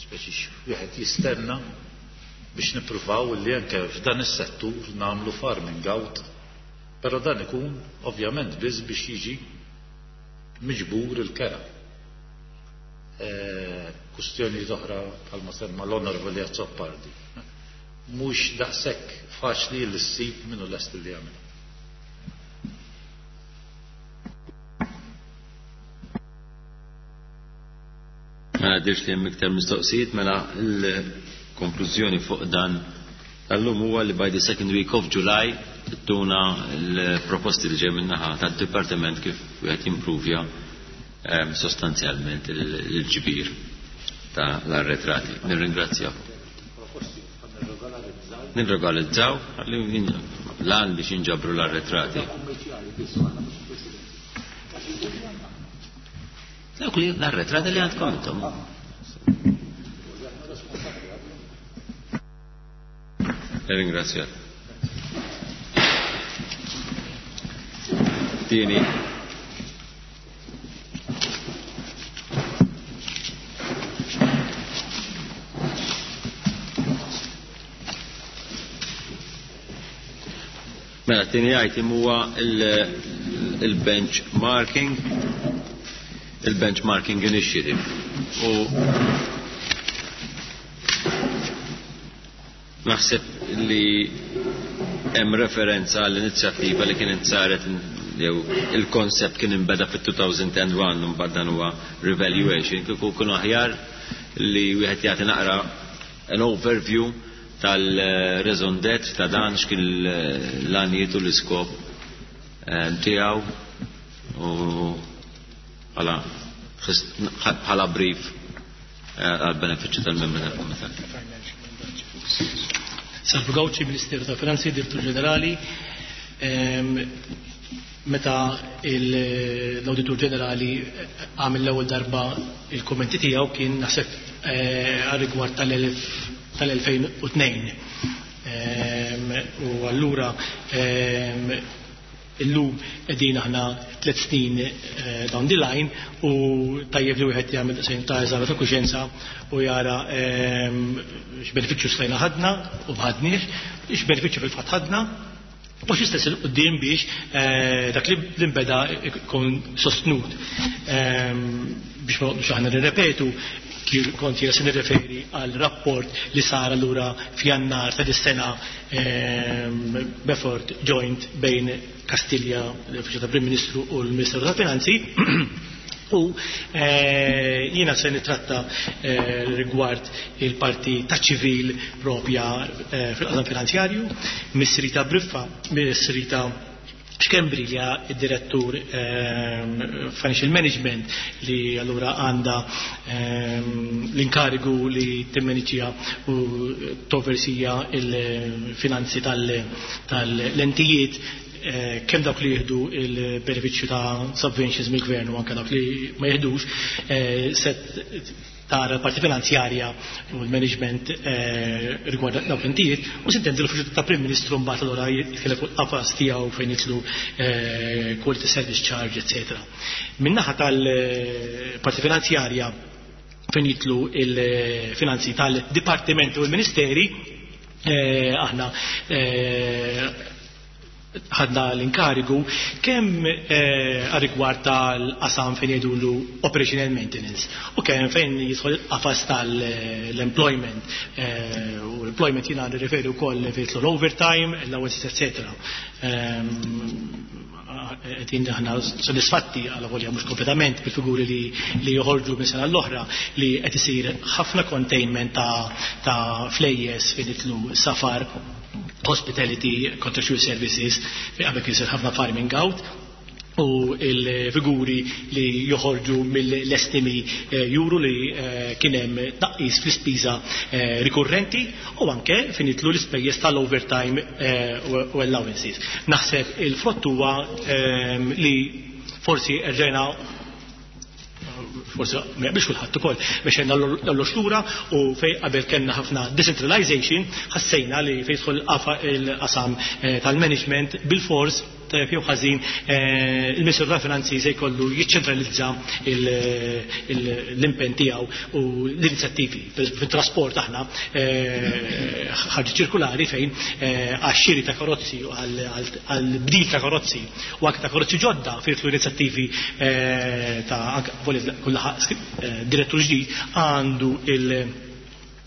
speċi wieħed jistenna biex nippruvaw li anke f'dan is-settur nagħmlu farming out, però dan ikun ovvjament biss biex jiġi miġbur il-kera. Kustjoni oħra bħalma semma l-Onorevoli Azzopardi. Mhux daqshekk faċli li ssib minnu lest li jagħmel. Mela dirx li hemm iktar mistoqsijiet, mela l-konklużjoni fuq dan tal-lum huwa li by the second week of July tuna l-proposti li ġej min-naħa tad-dipartiment kif wieħed jimpruvja sostanzjalment il-ġbir ta' l-arretrati. Nirringrazzjakom. Nirregolarizzaw l-għan biex jinġabru l-arretrati. Dawk li l-arretrati li għandkom intom. Ringrazzjat. Tieni. Mela, tieni item huwa il-benchmarking, il-benchmarking initiative. U naħseb li hemm referenza għall-inizjattiva li kienet saret jew il-koncept kien inbeda fit-2001 u mbagħad dan huwa revaluation, kieku kunu aħjar li wieħed jagħti naqra an overview tal-raison d'être ta' dan x'kien l-għanijiet u l-iskop tiegħu u bħala brief għal benefiċċju tal-membri tal-Kumitat. Salvu Gauci, Ministeru tal-Finanzi, Direttur Ġenerali. Meta l-Awditur Ġenerali għamel l-ewwel darba il-kommenti tiegħu kien naħseb għal rigward tal-2002. U allura illum qegħdin aħna 3 snin down the line u tajjeb li wieħed jagħmel daqsxejn ta' eżami ta' kuxjenza u jara x'benefiċċju stajna ħadna u m'ħadniex, x'benefiċċju fil-fatt ħadna u x'istess il quddiem biex dak li nbeda jkun sostnut. Biex ma noqgħodux aħna nirrepetu, kont jiena se nirreferi għal rapport li sar allura f'Jannar ta' dis-sena b'effort joint bejn Kastilja, l-Uffiċċju tal-Prim Ministru u l-Ministeru tal-Finanzi. U jiena se nitratta rigward il-parti ta' ċivil propja fil-qasam finanzjarju, Miss Rita Briffa, Miss Rita Schembri li hija id-direttur Financial Management li allura għandha l-inkarigu li timmaniġġja u toversija il-finanzi tal-entijiet, kemm dawk li jieħdu il-benefiċċju ta' subventions mill-gvern u anke dawk li ma jieħdux, se tara l-parti finanzjarja u l-management rigward dawk l-entijiet, u sintendi l-uffiċċju ta' Prim Ministru mbagħad allura jitkellem fuq il-qafas tiegħu fejn jidħlu quality service charge, eccetera. Min-naħa tal-parti finanzjarja fejn jidħlu il-finanzi tal-dipartimenti u l-ministeri, aħna ħadna l-inkarigu kemm għal-rigward tal-qasam fejn jgħidulu operational maintenance u kemm fejn jidħol il-qafas tal-employment, u l-employment jiena nirreferi wkoll fejn jidħol l-overtime, allowances, eccetera. Qegħdin aħna sodisfatti għal volja mhux kompletament bil-figuri li joħorġu minn sena l-oħra li qed isir ħafna containment ta' flejjes fejn jidħlu safar, hospitality, contractual services, fejn qabel kien isir ħafna farming out. U l-figuri li joħorġu mill-estimi juru li kien hemm tnaqqis fl-ispiża rikurrenti u anke fejn jidħlu l-ispejjeż tal-overtime u allowances. Naħseb il-frott huwa li forsi erġajna, forsi ma jaqbilx kulħadd ukoll, mexejna l-allox lura u fejn qabel kellna ħafna decentralization ħassejna li fejn jidħol il-qasam tal-management bil-fors, tajjeb jew ħażin, il-Ministeru tal-Finanzi se jkollu jiċċentralizza l-impenn tiegħu u l-inizjattivi. Fit-trasport aħna ħarġet ċirkulari fejn għax-xiri ta' karozzi u għall-bdil ta' karozzi u anke ta' karozzi ġodda fejn jidħlu inizjattivi ta' anke kull direttur ġdid għandu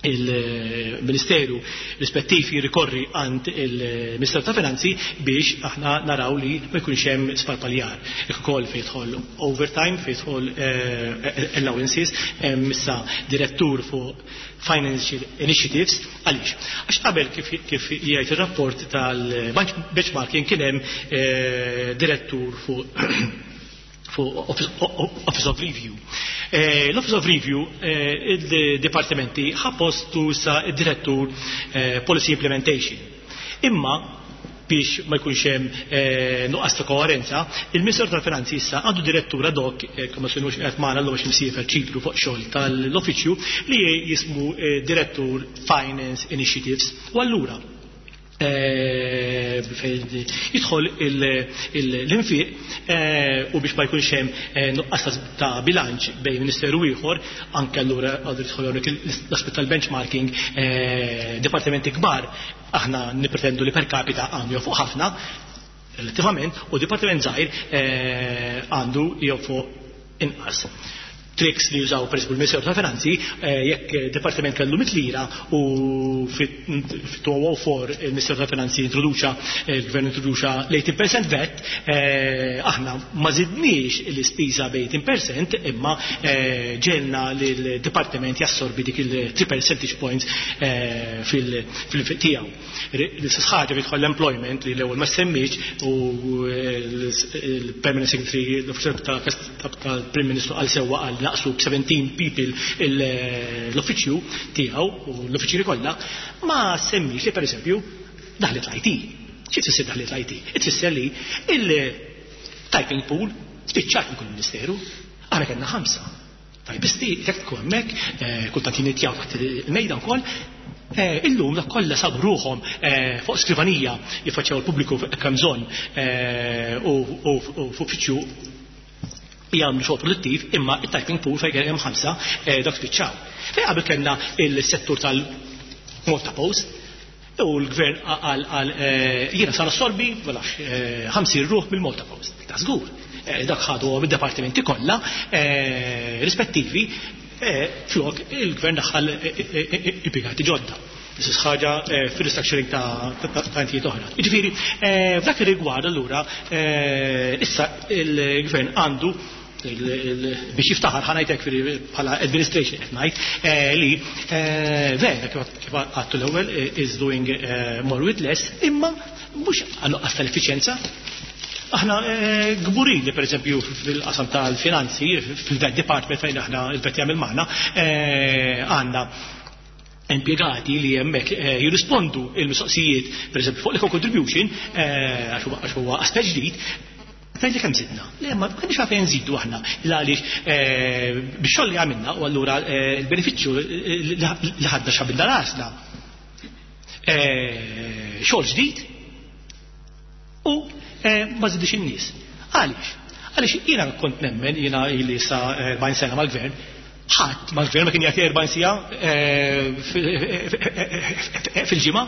il-Ministeru rispettiv jirrikorri għand il-Ministeru ta' Finanzi biex aħna naraw li ma jkunx hemm sparpaljar. Jekk ukoll fejn jidħol overtime, fejn jidħol allowances, hemm issa direttur fuq Financial Initiatives. Għaliex? Għax qabel, kif jgħid ir-rapport tal-benchmarking, kien hemm direttur fuq Office of Review. L-Office of Review, il-dipartimenti ħa postu sa id-direttur Policy Implementation. Imma biex ma jkunx hemm nuqqas ta' koerenza, il-Ministeru tal-Finanzi issa għandu direttur ad hoc, kemm ma sinux qed magħna llum għax imsiefer Ċipru fuq xogħol tal-uffiċċju, li jismu Direttur Finance Initiatives. U allura jidħol l-infiq u biex ma jkunx hemm nuqqas ta' bilanċ bejn ministeru ieħor, anke allura għadu jidħol hawnhekk l-aspett tal-benchmarking, dipartimenti kbar aħna nippretendu li per capita għandu fuq ħafna relattivament u dipartiment żgħir għandu fuq inqas. Tricks li jużaw per esempio il-Ministeru tal-Finanzi, jekk dipartiment kellu 100 lira u fit-2004 il-Ministeru tal-Finanzi introduċa, il-Gvern introduċa l-18% VAT, aħna ma zidniex l-ispiża b'18% imma ġegħelna l-dipartiment jassorbi dik il-3 percentage points fil tiegħu. L-istess ħaġa jidħol l-employment li l-ewwel ma semmiex u il-Permanent Secretary, l-Uffiċjal tal-Prim Ministru qal sewwa, qal naqsu b'17 people l-uffiċċju tiegħu u l-uffiċjeri kollha, ma semmiex li pereżempju daħlet l-IT. Xi tfisser daħlet l-IT? Tfisser li il-typing pool spiċċat minn kull ministeru, aħna kellna ħamsa. Tajbisti, jekk tkun hemmhekk, kultant jinitjaw taħt il-mejda wkoll, illum dak kollha sabu ruħhom fuq skrivanija jiffaċċjaw il-pubbliku kemm bżonn u f'uffiċċju jagħmlu xogħol produttiv, imma it-typing pool fejn hemm ħamsa dak spiċċaw. Fejn qabel kellna il-settur tal-Malta Post, u l-gvern għal jiena sar assorbi, ma nafx, 50 ruħ mill-Malta Post. Ta' żgur. Dak ħadu mid-departimenti kollha rispettivi, flok il-gvern daħħal impjegati ġodda. L-istess ħaġa fil-restructuring ta' entijiet oħra. Jiġifieri, f'dak ir-rigward allura issa il-gvern għandu biex jiftaħar, ħa ngħidlek, bħala administration qed ngħid li vera, kif għedtu l-ewwel, is doing more with less, imma mhux għal tal-effiċjenza. Aħna kburin li per eżempju fil-qasam tal-finanzi, fil-VAT department fejn aħna il-VAT jagħmel magħna, għandna impjegati li hemmhekk jirrispondu il-mistoqsijiet per eżempju fuq l-eco contribution, għax huwa aspett ġdid. Tgħidli kemm zidna? Le, ma kienx għalfejn nżidu aħna. Għaliex biex xogħol li għamilna u allura il-benefiċċju li ħadna x'għamilna rasna. Xogħol ġdid u ma żidix in-nies. Għaliex? Għaliex jiena kont nemmen, jiena ili sa 40 sena mal-gvern, ħadd mal-gvern ma kien jagħti 40 siegħa fil-ġimgħa,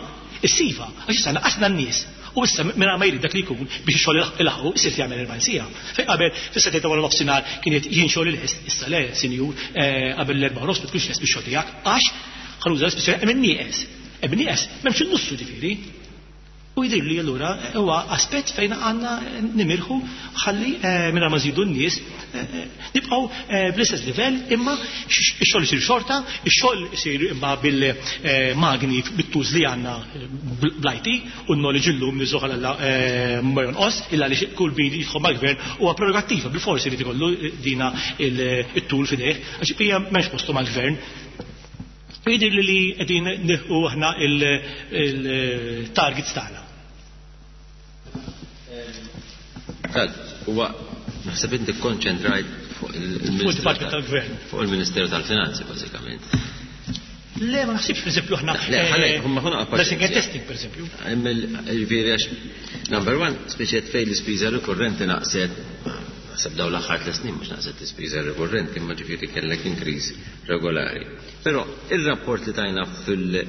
is-sifa, għax issa naqasna n-nies. U issa minn ma jrid dak li jkun biex ix-xogħol ilaħqu isir jagħmel 40 siegħa. Fejn qabel fis-7 ta' wara nofsinhar kienet jien xogħol il-ħest, issa le, sinjur, qabel l-4:30 ma tkunx lest bix-xogħol tiegħek, għax ħa nuża l-espressjoni hemm nieqes. Hemm nieqes, m'hemmx in-nussu ġifieri. U jidhirli allura huwa aspett fejn għandna nimirħu ħalli mingħajr ma nżidu n-nies nibqgħu bl-istess livell imma x-xogħol isir xorta, ix-xogħol isir imma bil-magni bit-tools li għandna bl-IT u n-knowledge illum niżżuh għal Alla ma jonqos illa għaliex kull min jidħol mal-gvern huwa prerogattiva bilfors irid ikollu dina it-tool f'idejh għax hija m'hemmx postu mal-gvern. U jidhirli li qegħdin nilħqu aħna il-targets tagħna. Tad, huwa naħseb inti kkonċentrajt fuq il-Department tal-Gvern. Fuq il-Ministeru tal-Finanzi bażikament. Le, ma naħsibx, per eżempju, aħna. Le, ħalek, eh, ma ħuna Blessing and testing, per eżempju. Ġifieri għax, number one, speċi fejn l-ispiża rikurrenti naqset naħseb dawn l-aħħar tliet snin mhux naqset l-ispiża rikurrenti, imma ġifieri kellek increase regolari. Però ir-rapport li tajna fil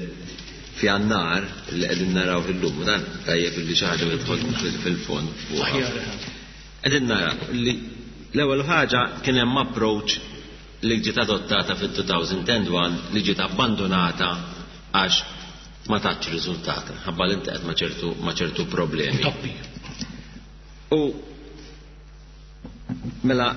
f'Jannar li qegħdin naraw illum, u dan tajjeb li xi ħaġa tidħol fil-fond fuqha. Qegħdin naraw li l-ewwel ħaġa kien hemm approach li ġiet adottata fit-2001 li ġiet abbandunata għax ma tatx riżultat, ħabba li ntaqgħet ma' ċertu ma' ċertu problemi. U Mela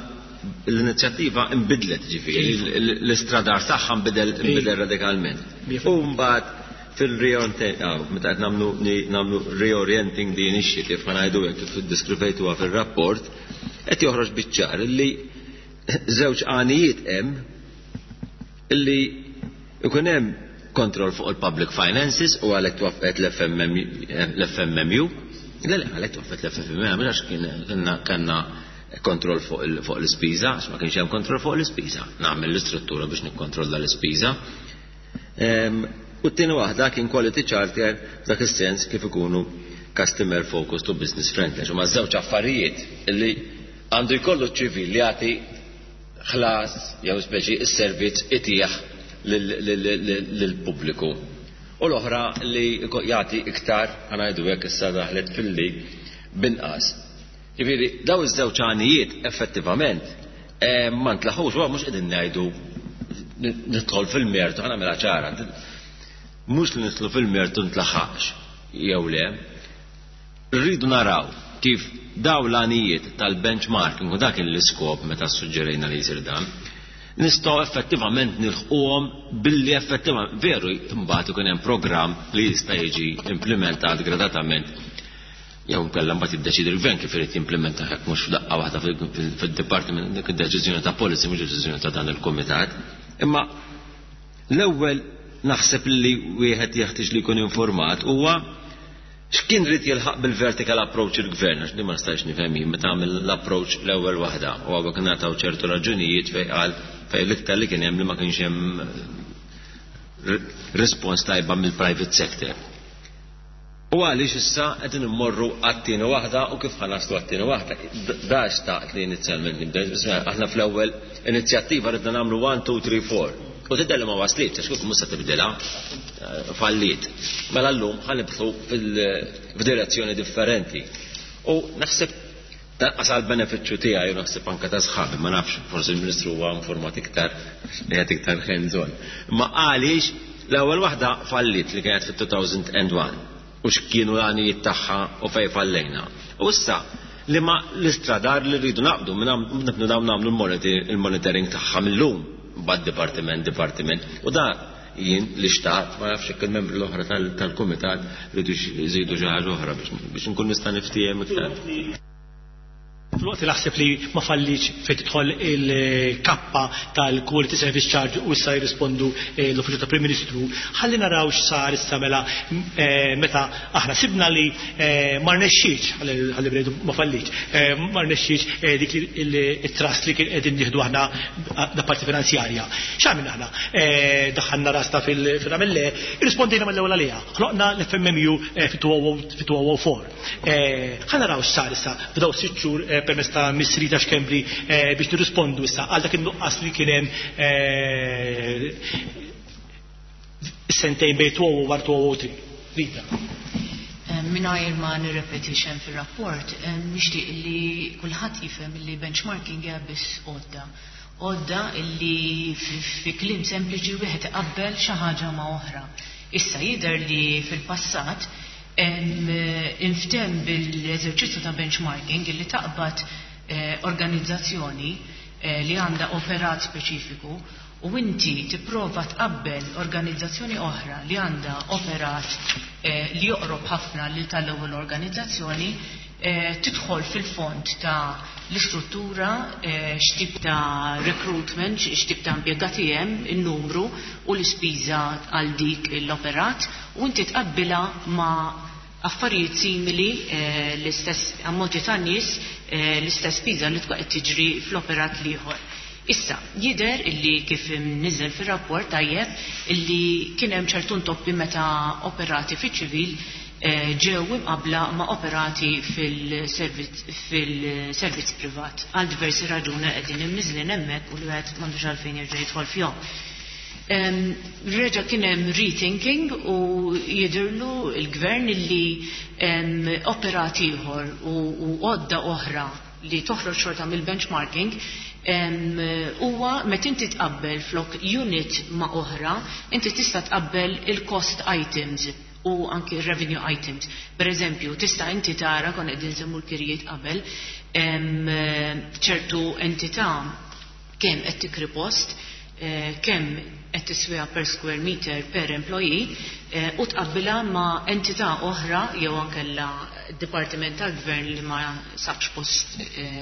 l-inizjattiva nbidlet ġifieri, l-istradar tagħha nbidel nbidel radikalment. U mbagħad fil-reorienting, ah, meta qed nagħmlu nagħmlu reorienting the initiative, ħa ngħidu hekk kif iddiskrivejtuha fir-rapport, qed joħroġ biċ-ċar li żewġ għanijiet hemm Illi jkun hemm kontroll fuq il-public finances u għalhekk twaffqet l-FMMU. Le, le, għalhekk twaffqet l-FMMU, mhux għax kienna kellna kontroll fuq l-ispiża, għax ma kienx hemm kontroll fuq l-ispiża. Nagħmel l-istruttura biex nikkontrolla l-ispiża. Ehm, u t-tieni waħda kien quality charter f'dak is-sens kif ikunu customer focused u business friendly. Huma żewġ affarijiet li għandu jkollu ċ-ċivil li jagħti ħlas jew speċi s-servizz itih lill-pubbliku. U l-oħra li jagħti iktar, ħa ngħidu hekk issa daħlet fil-li b'inqas. Ġifieri daw iż-żewġ għanijiet effettivament eh, ma ntlaħux, u mhux qegħdin ngħidu nidħol fil-mertu, ħa nagħmilha ċara. Mhux li nidħlu fil-mertu ntlaħaqx jew le, Irridu naraw kif dawn l-għanijiet tal-benchmarking, u dak kien l-iskop meta ssuġġerejna li jsir dan, nistgħu effettivament nilħquhom billi effettivament, veru mbagħad ikun hemm programm li jista' jiġi implimentat gradatament jew inkella mbagħad jiddeċiedi l-gvern kif irid jimplementah jekk mhux f'daqqa waħda fid-dipartiment dik id-deċiżjoni ta' policy mhux deċiżjoni ta' dan il-kumitat. Imma l-ewwel naħseb li wieħed jeħtieġ li jkun informat huwa X'kien ried jilħaq bil-vertical approach il-Gvern, għax din ma nistajx nifhem jien meta għamel l-approach l-ewwel waħda u hawnhekk ingħataw ċertu raġunijiet fejn qal fejn l-iktar li kien hemm li ma kienx hemm response tajba mill-private sector. U għaliex issa qegħdin immorru għat-tieni waħda u kif ħa naslu għat-tieni waħda. Da xtaqt li inizjalment nibda, aħna fl-ewwel inizjattiva ridna nagħmlu 1, 2, 3, 4. U tidher li ma waslitx, għax kieku mhux se tibdilha, eh, falliet. Mela llum ħa nibħu f'direzzjoni differenti. U naħseb tanqas għal benefiċċju tiegħi u naħseb anke ta' sħabi, ma nafx, forsi l-Ministru huwa informat iktar, qiegħed iktar hands-on. Ma għaliex l-ewwel waħda falliet li kienet fit-2001 u x'kienu l-għanijiet tagħha u fejn fallejna. U issa li ma l-istradar li rridu naqbdu nibnu dawn nagħmlu l-monitoring tagħha mill-lum bad dipartiment dipartiment. U da jien li xtaqt, ma nafx jekk il-membri l-oħra tal-kumitat rridu jżidu xi ħaġa oħra biex nkun nista' niftiehem iktar. Filwaqt li naħseb li ma fallitx fejn tidħol il-kappa tal-Quality Service Charge u issa jirrispondu eh, l-Uffiċċju tal-Prim Ministru, ħalli naraw x'sar issa mela eh, meta aħna sibna li eh, ma rnexxietx, ħalli bnejdu ma fallitx, ma rnexxietx dik it-trust li kien qegħdin nieħdu aħna da parti finanzjarja. X'għamilna aħna? Daħħalna rasna fil-ramelle, irrispondejna mill-ewwel għaliha. Ħloqna l-FMMU fit-2004. Ħa naraw x'sar issa f'dawn sitt xhur permezz ta' Miss Rita Schembri biex nirrispondu issa għal dak in-nuqqas li kien hemm sentejn bejn 2001 u 2003. Rita. Mingħajr ma nirrepeti x'hemm fir-rapport, nixtieq li kulħadd jifhem li benchmarking hija biss għodda. Għodda li fi kliem sempliċi wieħed iqabbel xi ħaġa ma' oħra. Issa jidher li fil-passat. Inftem bil-eżerċizzju ta' benchmarking illi taqbad organizzazzjoni li għandha operat speċifiku u inti tipprova tqabbel organizzazzjoni oħra li għandha operat li joqrob ħafna lil tal-ewwel organizzazzjoni, tidħol fil-fond ta' l-istruttura, x'tip ta' recruitment, x'tip ta' impjegati hemm, in-numru u l-ispiża għal dik l-operat, u inti tqabbilha ma' affarijiet simili, l-istess ammonti ta' nies, l-istess spiża li tkun qed tiġri fl-operat l-ieħor. Issa, jidher illi kif imniżżel fir-rapport tajjeb illi kien hemm ċertu ntoppi meta operati fiċ-ċivil ġew imqabbla ma' operati fil-servizz privat għal diversi raġuni qegħdin imniżżlin hemmhekk u li wieħed m'għandux għalfejn jerġa' jidħol fihom. Reġa' kien hemm rethinking u jidhirlu l-gvern illi operat ieħor u għodda oħra li toħroġ xorta mill-benchmarking huwa meta inti tqabbel flok unit ma' oħra, inti tista' tqabbel il-cost items u anki revenue items. Per eżempju, tista' inti tara, kon qegħdin nsemmu l-kirjiet qabel, ċertu entità kemm qed tikri post, kemm qed tiswiha per square meter per employee, u tqabbilha ma' entità oħra jew ankella dipartiment tal-gvern li ma sabx post,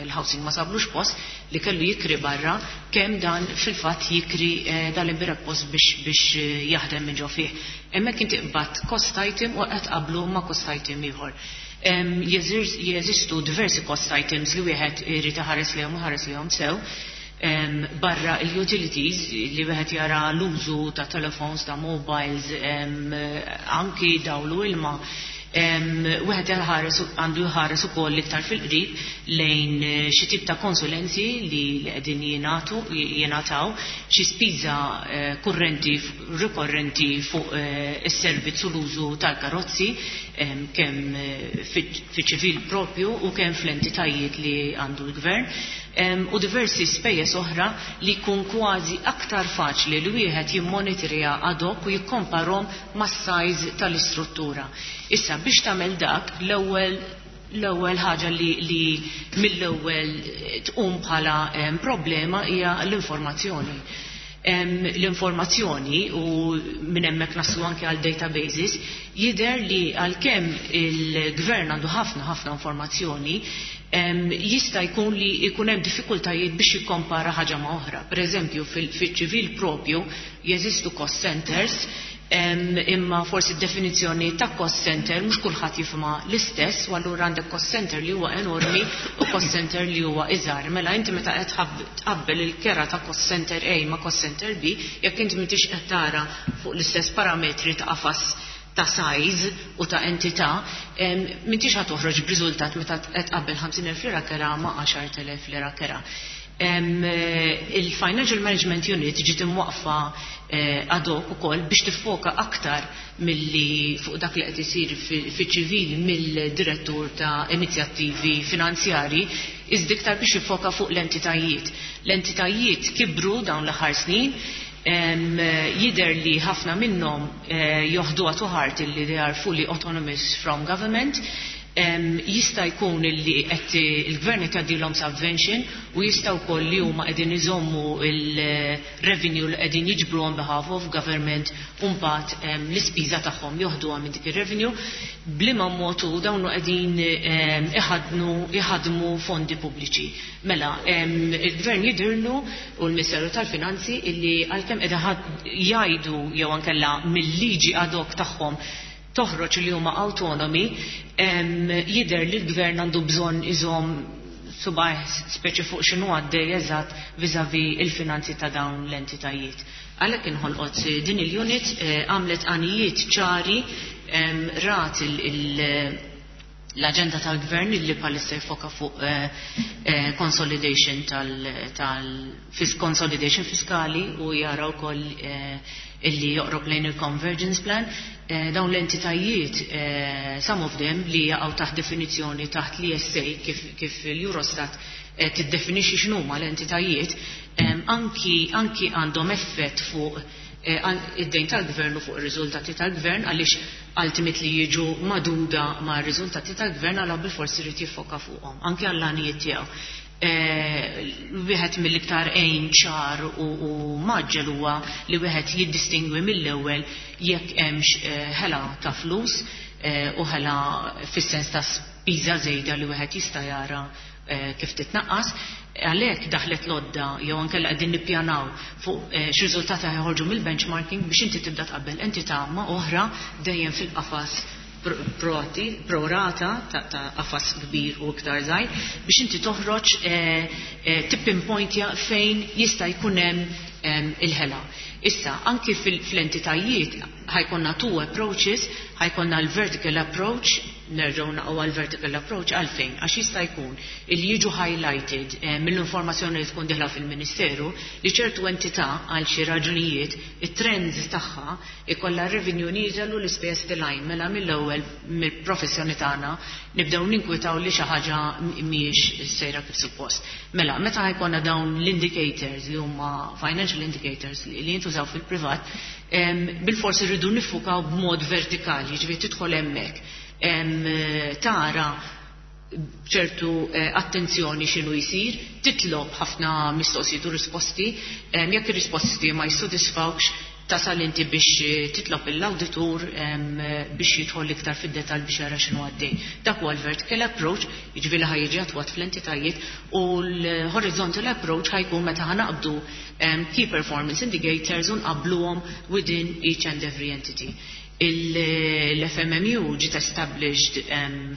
il-housing ma sablux post, li kellu jikri barra, kemm dan fil-fatt jikri dal-imbirek post biex jaħdem minn ġo fih. Hemmhekk inti qbadt cost item u qed tqabblu ma' cost item ieħor. Jeżistu diversi cost items li wieħed irid iħares lejhom u ħares lejhom sew. Barra il-utilities li wieħed jara l-użu ta' telephones, ta' mobiles, anki dawlu ilma. Wieħed għandu jħares ukoll iktar fil-qrib lejn xi tip ta' konsulenzi li qegħdin jingħataw, xi spiża kurrenti rikorrenti fuq is-servizz u l-użu tal-karozzi, kemm fiċ-ċivil propju u kemm fl-entitajiet li għandu l-gvern, u diversi spejjeż oħra li jkun kważi aktar faċli li wieħed jimmonitorja ad hoc u jikkomparhom mas-size tal-istruttura. Issa biex tagħmel dak, l-ewwel ħaġa li mill-ewwel tqum bħala problema hija l-informazzjoni. L-informazzjoni u minn hemmhekk naslu anke għal databases, jidher li għalkemm il-gvern għandu ħafna ħafna informazzjoni, jista' jkun li jkun hemm diffikultajiet biex jikkompara ħaġa ma' oħra. Per eżempju, fil-ċivil propju jeżistu cost centers, imma forsi d-definizzjoni ta' cost center mhux kulħadd jifhimha l-istess, u allura għandek cost center li huwa enormi u cost center li huwa iżgħar. Mela inti meta qed tqabbel il-kera ta' cost center A ma' cost center B, jekk inti m'intix qed tara fuq l-istess parametri ta' qafas ta' size u ta' entità, m'intix ħa toħroġ b'riżultat meta qed tqabbel 50,000 lira kera ma' 10,000 lira kera. Il-Financial Management Unit ġiet imwaqfa ad hoc ukoll biex tiffoka aktar milli fuq dak li qed isir fiċ-ċivil mill-direttur ta' inizjattivi finanzjari, iżda iktar biex jiffoka fuq l-entitajiet. L-entitajiet kibru dawn l-aħħar snin, jidher li ħafna minnhom joħduha to heart illi they are fully autonomous from government. Jista' jkun illi qed il-gvern qed jgħaddilhom subvention u jista' wkoll li huma qegħdin iżommu il-revenue li qegħdin jiġbru on behalf of government u mbagħad l-ispiża tagħhom joħduha minn dik ir-revenue, b'liema mod hu dawn qegħdin iħadmu fondi pubbliċi. Mela, il-gvern jidhirlu u l-Ministeru tal-Finanzi illi għalkemm qegħdin jgħidu jew ankella mill-liġi ad hoc tagħhom toħroġ li huma autonomi, jidher li l-gvern għandu bżonn iżomm subgħajh speċi fuq x'inhu għaddej eżatt vis-à-vis il-finanzi ta' dawn l-entitajiet. Għalhekk inħolqot din il-unit, għamlet għanijiet ċari, rat l-agenda tal-gvern li bħalissa jfoka fuq consolidation consolidation fiskali u jara wkoll illi joqrob lejn il-convergence plan. Dawn l-entitajiet, some of them li jaqgħu taħt definizzjoni taħt l-ESA kif l-Eurostat tiddefinixxi x'inhuma l-entitajiet, anki għandhom effett fuq Id-dejn tal-gvern u fuq ir-riżultati tal-gvern, għaliex ultimately jiġu magħduda ma' riżultati tal-gvern, għal bilfors irid jiffoka fuqhom anke għall-għanijiet tiegħu. Wieħed mill-iktar għejn ċar u mgħaġġel huwa li wieħed jiddistingwi mill-ewwel jekk hemmx ħela ta' flus u ħela fis-sens ta' spiża żejda li wieħed jista' jara kif titnaqqas. Għalhekk daħlet l-għodda, jew ankella qegħdin nippjanaw fuq x'riżultati ħajħorġu mill-benchmarking biex inti tibda tqabbel entità ma' oħra, dejjem fil-qafas pro rata ta' qafas kbir u iktar żgħir, biex inti toħroġ tippinpointja fejn jista' jkun hemm il-ħela. Issa, anki fl-entitajiet ħa jkollna two approaches: ħa jkollna l-vertical approach, nerġgħu naqgħu għal vertical approach. Għalfejn? Għax jista' jkun il jiġu highlighted mill-informazzjoni li tkun dieħla fil-Ministeru li ċertu entità, għal xi raġunijiet, it-trends tagħha ikollha revenue nieżel u l-ispejjeż tilgħin. Mela mill-ewwel, mill-professjoni tagħna, nibdew ninkwitaw li xi ħaġa mhijiex sejra kif suppost. Mela, meta ħa jkollna dawn l-indicators li huma financial indicators li jintużaw fil-privat, bil-forsi rridu niffukaw b'mod vertikali, ġifieri tidħol hemmhekk, tara ċertu attenzjoni x'inhu jsir, titlob ħafna mistoqsijiet u risposti, jekk ir-risposti ma jissodisfawx, tasal inti biex titlob l-auditur biex jidħol iktar fid-detal biex jara x'inhu għaddej. Dak huwa l-vertical approach, jiġifieri ħa jiġi attwat fl-entitajiet, u l-horizontal approach ħa jkun meta ħa naqbdu key performance indicators u nqabluhom within each and every entity. L-FMMU ġiet established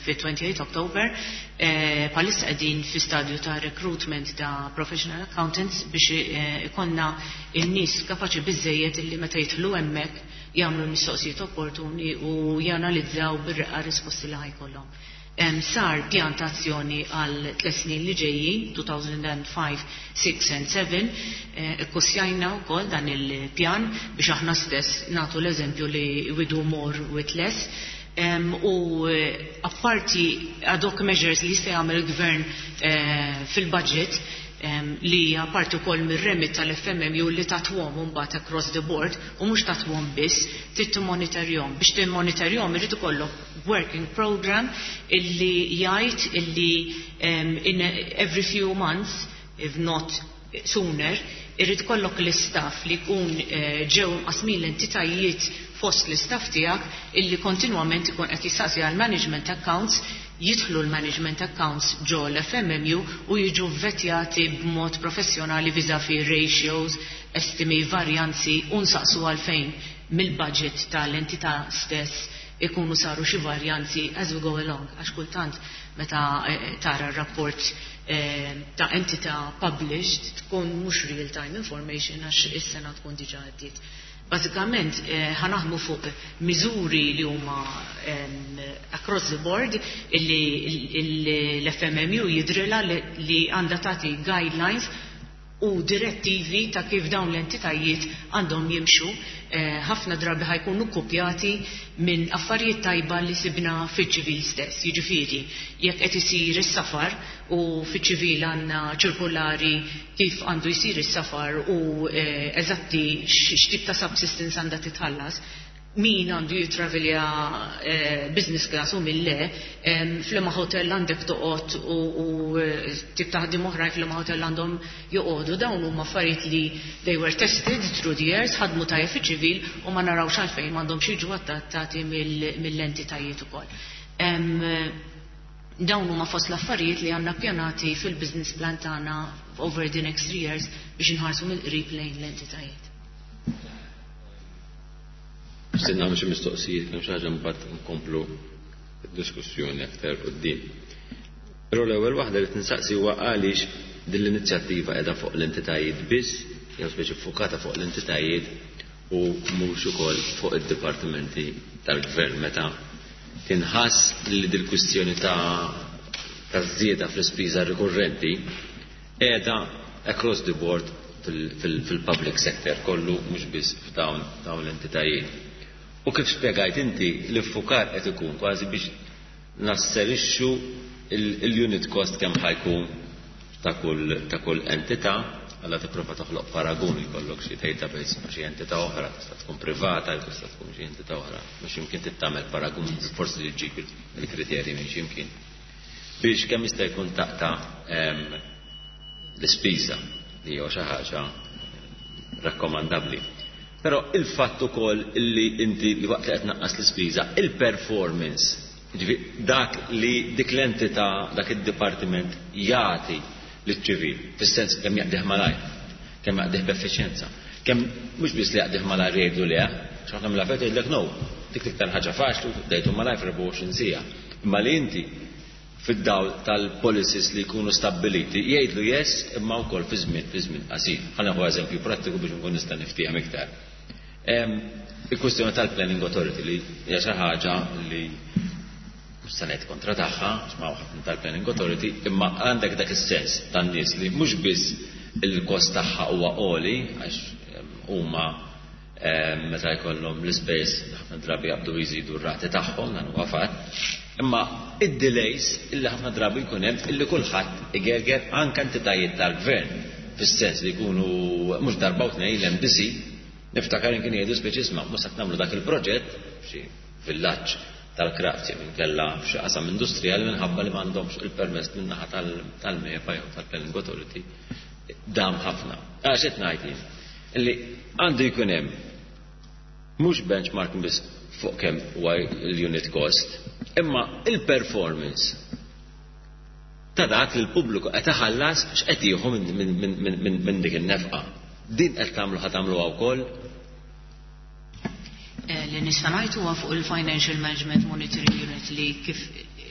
fi 28 October, bħalissa qegħdin fi stadju ta' recruitment ta' professional accountants biex ikollna in-nies kapaċi biżejjed illi meta jidħlu hemmhekk jagħmlu l-mistoqsijiet opportuni u janalizzaw bir-reqqa risposti li ħa jkollhom. Sar pjan ta' azzjoni għal 3 snin li ġejjin, 2005, 6 and 7, ikkupjajna wkoll dan il-pjan biex aħna stess nagħtu l-eżempju li we do more with less. U apparti ad hoc measures li jista' jagħmel il-gvern fil-budget, li apparti wkoll mir-remit tal-FMMU li tatwom mbagħad across the board, u mhux tatwom biss, trid timmonitorjahom. Biex timmonitorjahom irid ikollok working program illi jgħid illi in every few months, if not sooner, irrid ikollok l-istaff li jkun ġew mqasmin l-entitajiet fost l-istaff tiegħek, illi kontinwament ikun qed jistaqsi għal management accounts, jidħlu l-management accounts ġo l-FMMU u jiġu vetjati b'mod professjonali vis-a-vis ratios, estimi, varjanzi, u nsaqsu għalfejn mill-budget tal-entità stess ikunu saru xi varjanzi as we go along, għax kultant meta tara r-rapport ta' entità published tkun mhux real time information għax is-sena tkun diġà għaddiet. Bażikament ħa naħdmu fuq miżuri li huma across the board, illi l-FMMU jidrilha li għandha tagħti guidelines u direttivi ta' kif dawn l-entitajiet għandhom jimxu. Ħafna drabi ħa jkunu kopjati minn affarijiet tajba li sibna fiċ-ċivil stess. Jiġifieri, jekk qed isir is-safar u fiċ-ċivil għandna ċirkulari kif għandu jsir is-safar u eżatti x'tip ta' subsistence għandha titħallas, min għandu jitravelja business class u min le, f'liema hotel għandek toqgħod u tip ta' ħaddiem oħrajn f'liema hotel għandhom joqogħdu. Dawn huma affarijiet li they were tested through the years, ħadmu tajjeb fiċ-ċivil u ma narawx għalfejn m'għandhomx jiġu adattati mill-entitajiet ukoll. Dawn huma fost l-affarijiet li għandna pjanati fil-business plan tagħna over the next 3 years biex inħarsu mill-qrib lejn l-entitajiet. Nixtieq nagħmel xi mistoqsijiet, kemm xi ħaġa, mbagħad nkomplu d-diskussjoni aktar quddiem. Però l-ewwel waħda li tinsaqsi huwa għaliex din l-inizjattiva qiegħda fuq l-entitajiet biss, jew speċi fukata fuq l-entitajiet u mhux ukoll fuq id-dipartimenti tal-gvern, meta tinħass li dil-kwistjoni ta' żieda fl-ispiża rikurrenti qiegħda across the board fil-public sector kollu, mhux biss f'dawn dawn l-entitajiet. U kif spjegajt inti, l-iffukar qed ikun kważi biex nasserixxu il-unit cost kemm ħa jkun ta' kull entità. Alla tipprova toħloq paragun, jkollok xi database ma' xi entità oħra, tista' tkun privata, tista' tkun xi entità oħra, biex imkien tittamel paragun, forsi li ġġib il-kriterji minn xi mkien. Biex kemm jista' jkun taqta' l-ispiża li hija xi ħaġa rakkomandabbli. Però il-fatt ukoll li inti li waqt li qed naqqas l-ispiża, il-performance, ġifieri dak li dik l-entità, dak id-dipartiment jagħti liċ-ċivil, fis-sens kemm jaqdih malajr, kemm jaqdih b'effiċjenza, kemm mhux biss li jaqdih malajr jgħidu le, x'ħafna mill-affarijiet jgħidlek no, dik l-iktar ħaġa faċli dejtu malajr f'24 siegħa. Imma li inti fid-dawl tal-policies li jkunu stabbiliti jgħidlu yes imma wkoll fi żmien qasir. Ħa nieħu eżempju prattiku biex nkun nista' niftiehem iktar. Il-kwistjoni tal-Planning Authority, li hija xi ħaġa li mhux se ngħid kontra tagħha, x'ma ħafna tal-Planning Authority, imma għandek dak is-sens tan-nies li mhux biss il-kost tagħha huwa għoli, għax huma meta jkollhom l-ispejjeż ħafna drabi jaqbdu jżidu r-rati tagħhom, dan huwa fatt. Imma id-delays illi ħafna drabi jkun hemm, illi kulħadd igerger, anke entitajiet tal-gvern, fis-sens li jkunu mhux darba u tnejn l-MDC, niftakar, kien jgħidu speċi isma' mhux se nagħmlu dak il-proġett f'xi villaġġ tal-crafts jew inkella f'xi qasam industrijali minħabba li m'għandhomx il-permess min-naħa tal-MEPA jew tal-Planning Authority, dam ħafna. Għax qed ngħid jien illi għandu jkun hemm mhux benchmark biss fuq kemm huwa l-unit cost, imma il-performance ta' dak li l-pubbliku qed iħallas, x'qed jieħu minn dik in-nefqa. Din qed tagħmlu, ħa tagħmluha wkoll? Li nista' ngħid huwa fuq il-Financial Management Monitoring Unit li kif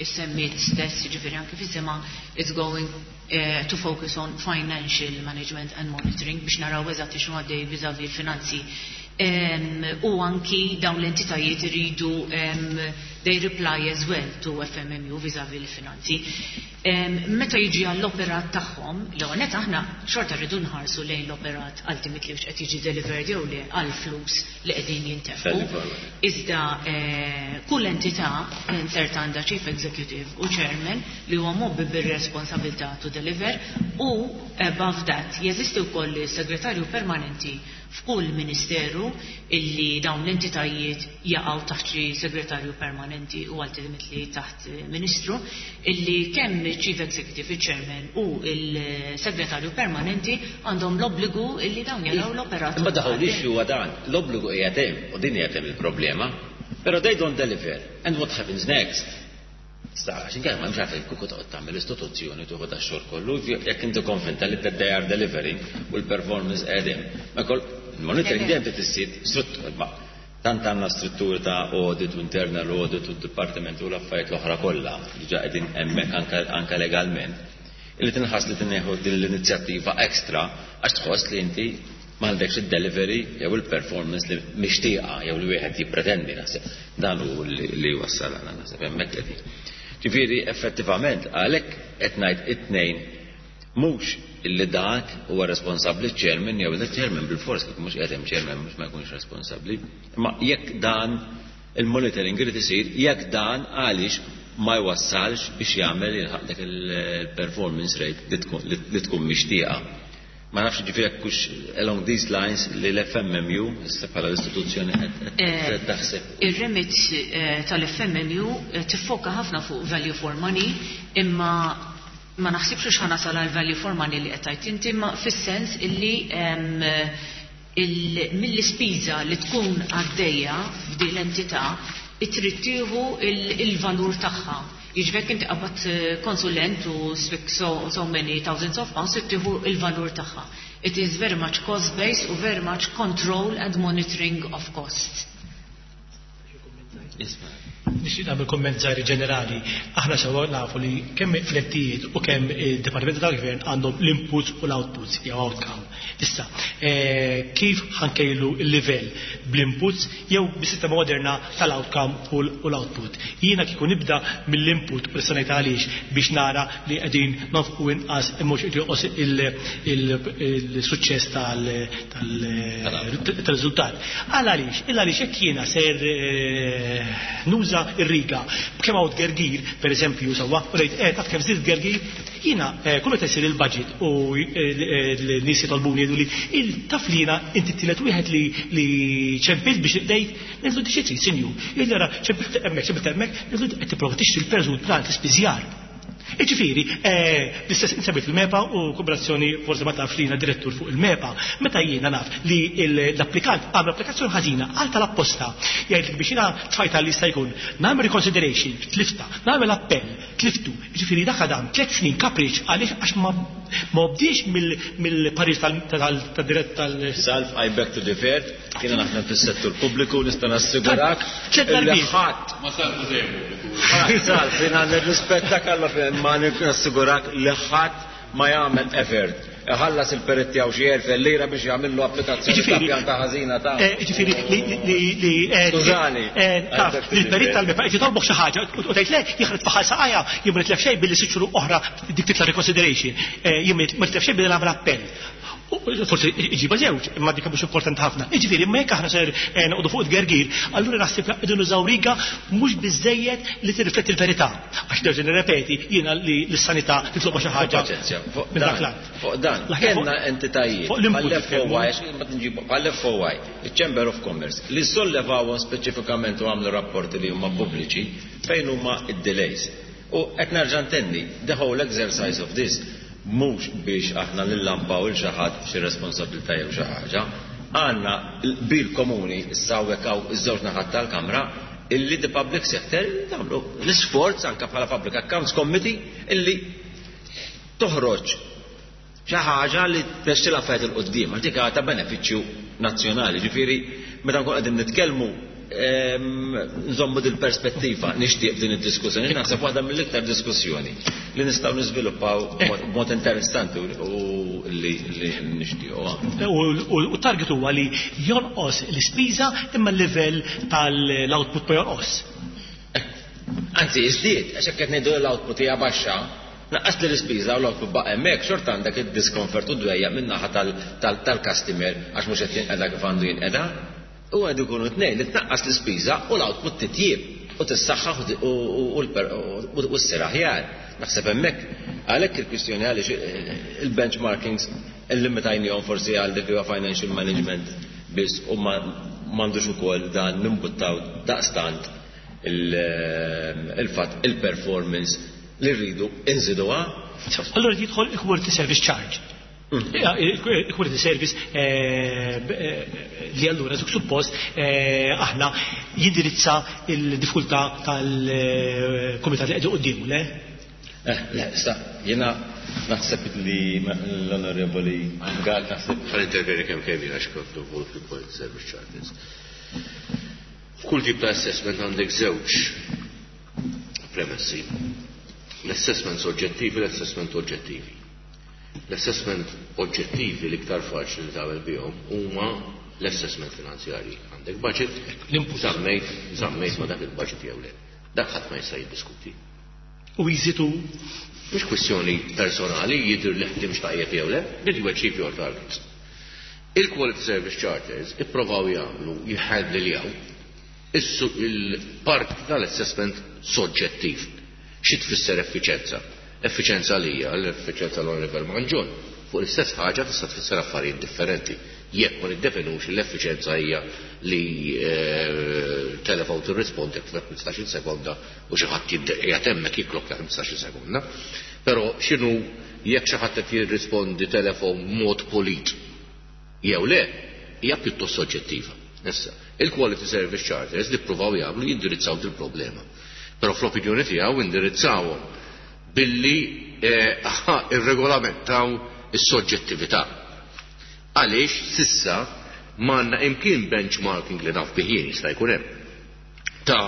issemmiet stess, jiġifieri anke fis-sema, it's going to focus on financial management and monitoring biex naraw eżatti x'inhu għaddej vis-à-vis il-finanzi. U anki dawn l-entitajiet iridu they reply as well to FMMU vis-à-vis l-finanzi. Meta jiġi għall-operat tagħhom, l-għonet aħna xorta rridu nħarsu lejn l-operat ultimately qed jiġi delivered jew le għal-flus li qegħdin jintefqu. Iżda kull entità insert għandha chief executive u chairman li huwa mgħobbi bir-responsabilità to deliver, u above that jeżisti wkoll segretarju permanenti f'kull ministeru, illi dawn l-entitajiet jaqgħu taħt xi segretarju permanenti u ultimately taħt ministru, illi kemm chief executive, il-chairman u il-segretarju permanenti għandhom l-obbligu illi dawn jaraw l-operat. Imma daħu li huwa dan, l-obbligu qiegħed hemm u din qiegħed hemm il-problema. Però they don't deliver. And what happens next? Sta, għax inkella ma mx għalfejn kieku toqgħod tagħmel istituzzjoni tuħu da xogħol kollu, jekk inti konvinta li they are delivering u l-performance qegħdin. Ma kol il-monitoring dejjem trid issir, ma tant għandna strutturi ta' audit u internal audit u dipartiment u l-affarijiet l-oħra kollha li ġa qegħdin hemmhekk anke legalment. Illi tinħass li tinneħu din l-inizjattiva extra għax tħoss li inti m'għandekx id-delivery jew il-performance li mixtieqa jew li wieħed jippretendi, naħseb. Dan hu li wassal għal naħseb hemmhekk qegħdin. Ġifieri effettivament għalhekk qed ngħid it-tnejn, mhux illi dak huwa responsabbli chairman jew il-chairman bil-fors, kif mhux qed hemm chairman mhux ma jkunx responsabbli, imma jekk dan il-monitoring irid isir, jekk dan għaliex ma jwassalx biex jagħmel jilħaq dak il-performance rate li tkun mixtieqa. Ma nafx ġifieri jekk hux along these lines li l-FMMU issa bħala l-istituzzjoni qed taħseb. Ir-remit tal-FMMU tiffoka ħafna fuq value for money, imma ma naħsibx ħa nasal għal value for money li qed tgħid inti, imma fis-sens illi mill-ispiża li tkun għaddejja f'din l-entità trid tieħu il-valur tagħha. Jiġifieri inti qabad konsulent u spik so many thousands of pounds, trid tieħu il-valur tagħha. It is very much cost based u very much control and monitoring of costs. Isma'. Nixtieq nagħmel kumment żgħir ġenerali. Aħna sewwa nafu li kemm flettijiet u kemm id-Dipartimenti tal-Gvern għandhom l-inputs u l-outputs jew outcome. Issa, kif ħa nkejlu l-livell, bl-inputs jew bis-sistema moderna tal-outcome u l-output? Jiena kieku nibda mill-input u nista' ngħid għaliex, biex nara li qegħdin nonfqu inqas mhux jonqos il-suċċess. tal-riżultat. Għal għaliex, il għaliex jekk jiena ser nuża r-riga b'kemm hawn tgergir, pereżempju, sewwa, u ngħid eh taf kemm żdied tgergir, jiena kull meta jsir il-budget u l-nies jitolbuni jgħiduli taf li jiena inti t-tielet wieħed li li ċempilt biex bdejt, ngħidlu inti xi trid sinjur? Jgħidli ara ċempilt hemmhekk, ċempilt hemmhekk, ngħidlu qed tipprova tixtri l-perżut b'dan l-ispiżjar. Jiġifieri, l-istess insemmejt il-MEPA u kooperazzjoni forsi ma tafx li jiena direttur fuq il-MEPA. Meta jiena naf li l-applikant għamel applikazzjoni ħażina għal tal-apposta, jgħidlek biex jiena tfajtha li jista' jkun, nagħmel reconsideration, tliftha, nagħmel appell, tliftu. Jiġifieri dak għadam tliet snin kapriċ għaliex għax ma ma obdiex mill-parir tad-dirett tal. Salv, I beg to differ. Jiena naħdem fis-settur pubbliku nista' nassigurak li ħadd. Ma Salvu dejjem pubbliku. Ħadd Salv, jiena nirrispettak alla imma nassigurak li ħadd ma jagħmel effort iħallas il-perit tiegħu xi 1000 lira biex jagħmillu applikazzjoni ta' pjanta ħażina ta' Jiġifieri li li Skużani. Taf li l-perit tal-MEPA qed jitolbok xi ħaġa u tgħid le jien ħadt saqajja jien ma nitlef xejn billi sitt xhur oħra dik titla' reconsideration jien ma nitlef xejn billi nagħmel appell. Forsi iġiba żewġ, imma dik mhux importanti ħafna. Jiġifieri, imma jekk aħna ser eh, noqogħdu fuq it-tgergir, allura naħseb li qegħdin nużaw riga mhux biżejjed li tirrifletti l-verità. Għax nerġa' nirrepeti, jiena li l-sanità titloba xi ħaġa. Paċenzja, fuq minn dak dan, l-att. fuq dan, L-aħjar fuq- kellna entitajiet fuq l-input bħall-FOY, nitkellmu. għax ma tinġibu, bħall-FOY, il-Chamber of Commerce, li sollevawhom speċifikament u għamlu rapporti li huma pubbliċi fejn huma id-delays. U qed nerġa' ntenni, the whole exercise of this mhux biex aħna nillampaw 'il xi ħadd f'xi responsabbiltà jew xi ħaġa. Għandna qbil komuni issa hawnhekk hawn iż-żewġ naħat tal-Kamra illi the public sector nagħmlu l-isforz anke bħala Public Accounts Committee illi toħroġ xi ħaġa li tmexxi l-affarijiet 'il quddiem għax dik ta' benefiċċju nazzjonali. Ġifieri meta nkun qegħdin nitkellmu nżommu dil-perspettiva nixtieq f'din id-diskussjoni. Naħseb waħda mill-iktar diskussjoni li nistgħu niżviluppaw b'mod interessanti u li nixtiequ. U t-target huwa li jonqos l-ispiża imma l-livell tal-output ma jonqos. Anzi, jiżdied, għax hekk qed ngħidu l-output hija baxxa, naqqas li l-ispiża u l-output baqa' hemmhekk, xorta għandek id-discomfort u dwejjaq min-naħa tal-customer għax mhux qed jinqeda kif għandu jinqeda. U għandu jkunu tnejn li tnaqqas l-ispiża u l-output titjieb u tissaħħaħ u ssir aħjar. Naħseb hemmhekk għalhekk il-kwistjoni għaliex il-benchmarkings illimitajnihom forsi għal dik li huwa financial management biss u m'għandux ukoll dan nimbuttaw daqstant il-fatt il-performance li rridu inżiduha. Allura jidħol il-quality service charge. Il-quality service li allura suppost aħna jindirizza il-diffikultà tal-kumitat li qegħdu quddiemu, le? Le, sta, jiena naħseb li l-Onorevoli Gall naħseb. Ħa nintervjeni kemm kemm jien għax kont involut fil-quality service charges. F'kull tip ta' assessment għandek żewġ premessi. L-assessment soġġettivi, l-assessment oġġettivi. L-assessment oġġettivi l-iktar faċli li tagħmel bihom huma l-assessment finanzjarji. Għandek budget, żammejt, żammejt ma dak il-budget jew le. Dak ħadd ma jista' jiddiskuti. U jżitu Mhux kwistjoni personali jidher li ħdimx tajjeb jew le, did you achieve your targets? Il-Quality Service Charters ipprovaw jagħmlu jħalliljaw il-parti tal-assessment soġġettiv. Xi tfisser effiċenza? Effiċenza lija, l-effiċenza l-Onorevole Mangion, fuq l-istess ħaġa tista' tfisser affarijiet differenti. Jekk ma niddefinux l-effiċenza hija li telefon tirrispondi f'ħmistax-il sekonda u xi ħadd qiegħed hemmhekk jiklokka 15-il sekonda. Però x'inhu jekk xi ħadd qed jirrispondi telefon b'mod polit jew le, hija pjuttost soġġettiva. Issa, il-Quality Service Charters li ppruvaw jagħmlu jindirizzaw dil-problema. Però fl-opinjoni tiegħu indirizzawhom billi irregolamentaw is-soġġettività. Għaliex sissa m'għandna imkien benchmarking li naf bih jien jista' jkun hemm. Ta'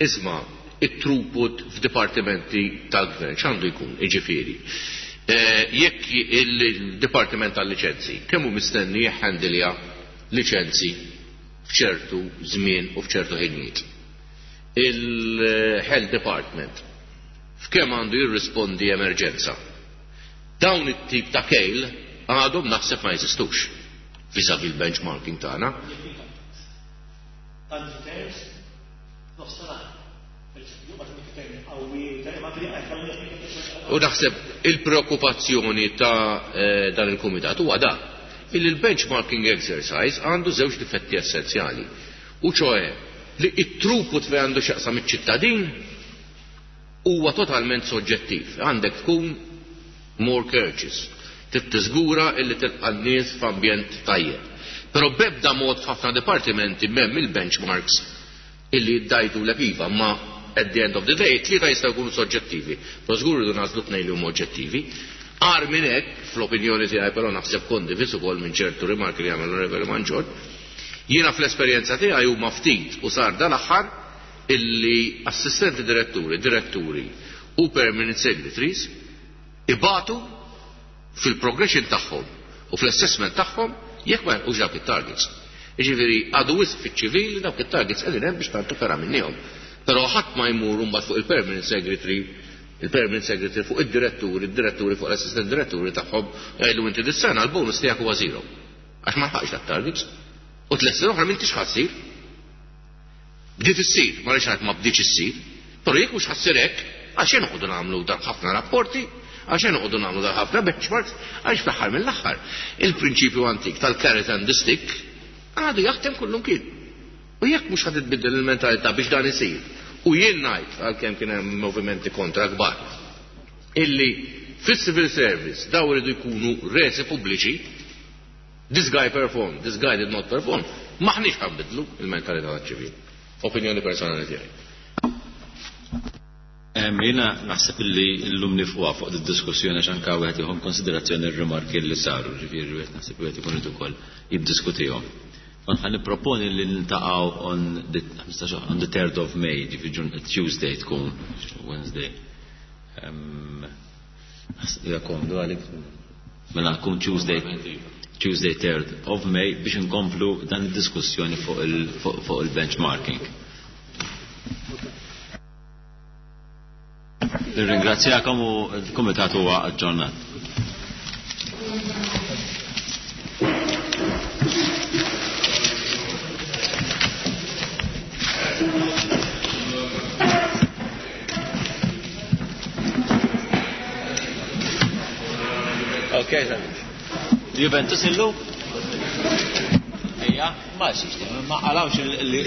isma' it-throughput f'dipartimenti tal-gvern x'għandu jkun, jiġifieri. Jekk il-Dipartiment tal-Liċenzi kemm hu mistenni jħandilja liċenzi f'ċertu żmien u f'ċertu ħinijiet. Il-Health Department f'kemm għandu jirrispondi emerġenza. Dawn it-tip ta' kejl għadhom naħseb ma jeżistux. vis-à-vis l-benchmarking tagħna. U naħseb il-preokkupazzjoni ta' dan il-kumitat huwa dan, illi l-benchmarking exercise għandu żewġ difetti essenzjali. U ċoe li it-throughput fejn għandu x'jaqsam iċ-ċittadin huwa totalment soġġettiv. Għandek tkun more courteous. Trid tiżgura illi tilqa' n-nies f'ambjent tajjeb. Però b'ebda mod f'ħafna dipartimenti m'hemm il-benchmarks illi jiddajtulek iva, ma at the end of the day tlieta jistgħu jkunu soġġettivi, però żgur irridu nagħżlu tnejn li huma oġġettivi. Agħar minn hekk, fl-opinjoni tiegħi però naħseb kondiviż ukoll minn ċertu rimarki li għamel l-Onorevoli Mangion, jiena fl-esperjenza tiegħi huma ftit u sar dal-aħħar illi assistenti diretturi, diretturi u permanent secretaries ibatu fil-progression tagħhom u fl-assessment tagħhom jekk ma jilħqux dawk it-targets. Jiġifieri għadu wisq fiċ-ċivil li dawk it-targets qegħdin hemm biex tagħtu fergħa minnihom. Però ħadd ma jmur imbagħad fuq il-permanent secretary, il-permanent secretary fuq id-diretturi, id-diretturi fuq l-assistant diretturi tagħhom jgħidlu inti dis-sena l-bonus tiegħek huwa zero. Għax ma lħaqx dat-targets. U tliet snin oħra m'intix ħa ssir. Bdiet issir, ma rridx ngħid ma bdietx issir, però jekk mhux ħa ssir hekk, għalxejn noqogħdu nagħmlu dan ħafna rapporti, għalxejn noqogħdu nagħmlu dan ħafna benchmarks, għaliex fl-aħħar mill-aħħar il-prinċipju antik tal-carrot and the stick għadu jaħdem kullumkien. U jekk mhux ħa titbiddel il-mentalità biex dan isir, u jien ngħid għalkemm kien hemm movimenti kontra kbar, illi fis-civil service daw iridu jkunu resi pubbliċi, This guy performed, this guy did not perform, m'aħniex ħa nbiddlu il-mentalità taċ-ċivil. Opinjoni personali tiegħi. Jiena naħseb illi llum nifquha fuq did-diskussjoni għax anke wieħed jieħu konsiderazzjoni r-rimarki li saru, ġifieri wieħed naħseb wieħed ikun irid ukoll jiddiskutihom. Kont ħa nipproponi li niltaqgħu on the on the 3rd of May, ġifieri Tuesday tkun, Wednesday. Hija komdu għalik? Mela tkun Tuesday Tuesday 3rd of May biex inkomplu dan id-diskussjoni fuq il-benchmarking. Nirringrazzjakom u l-Kumitat huwa aġġornat. Okay, then. Juventus illum? Ejja, ma xiex, ma qalawx il-li.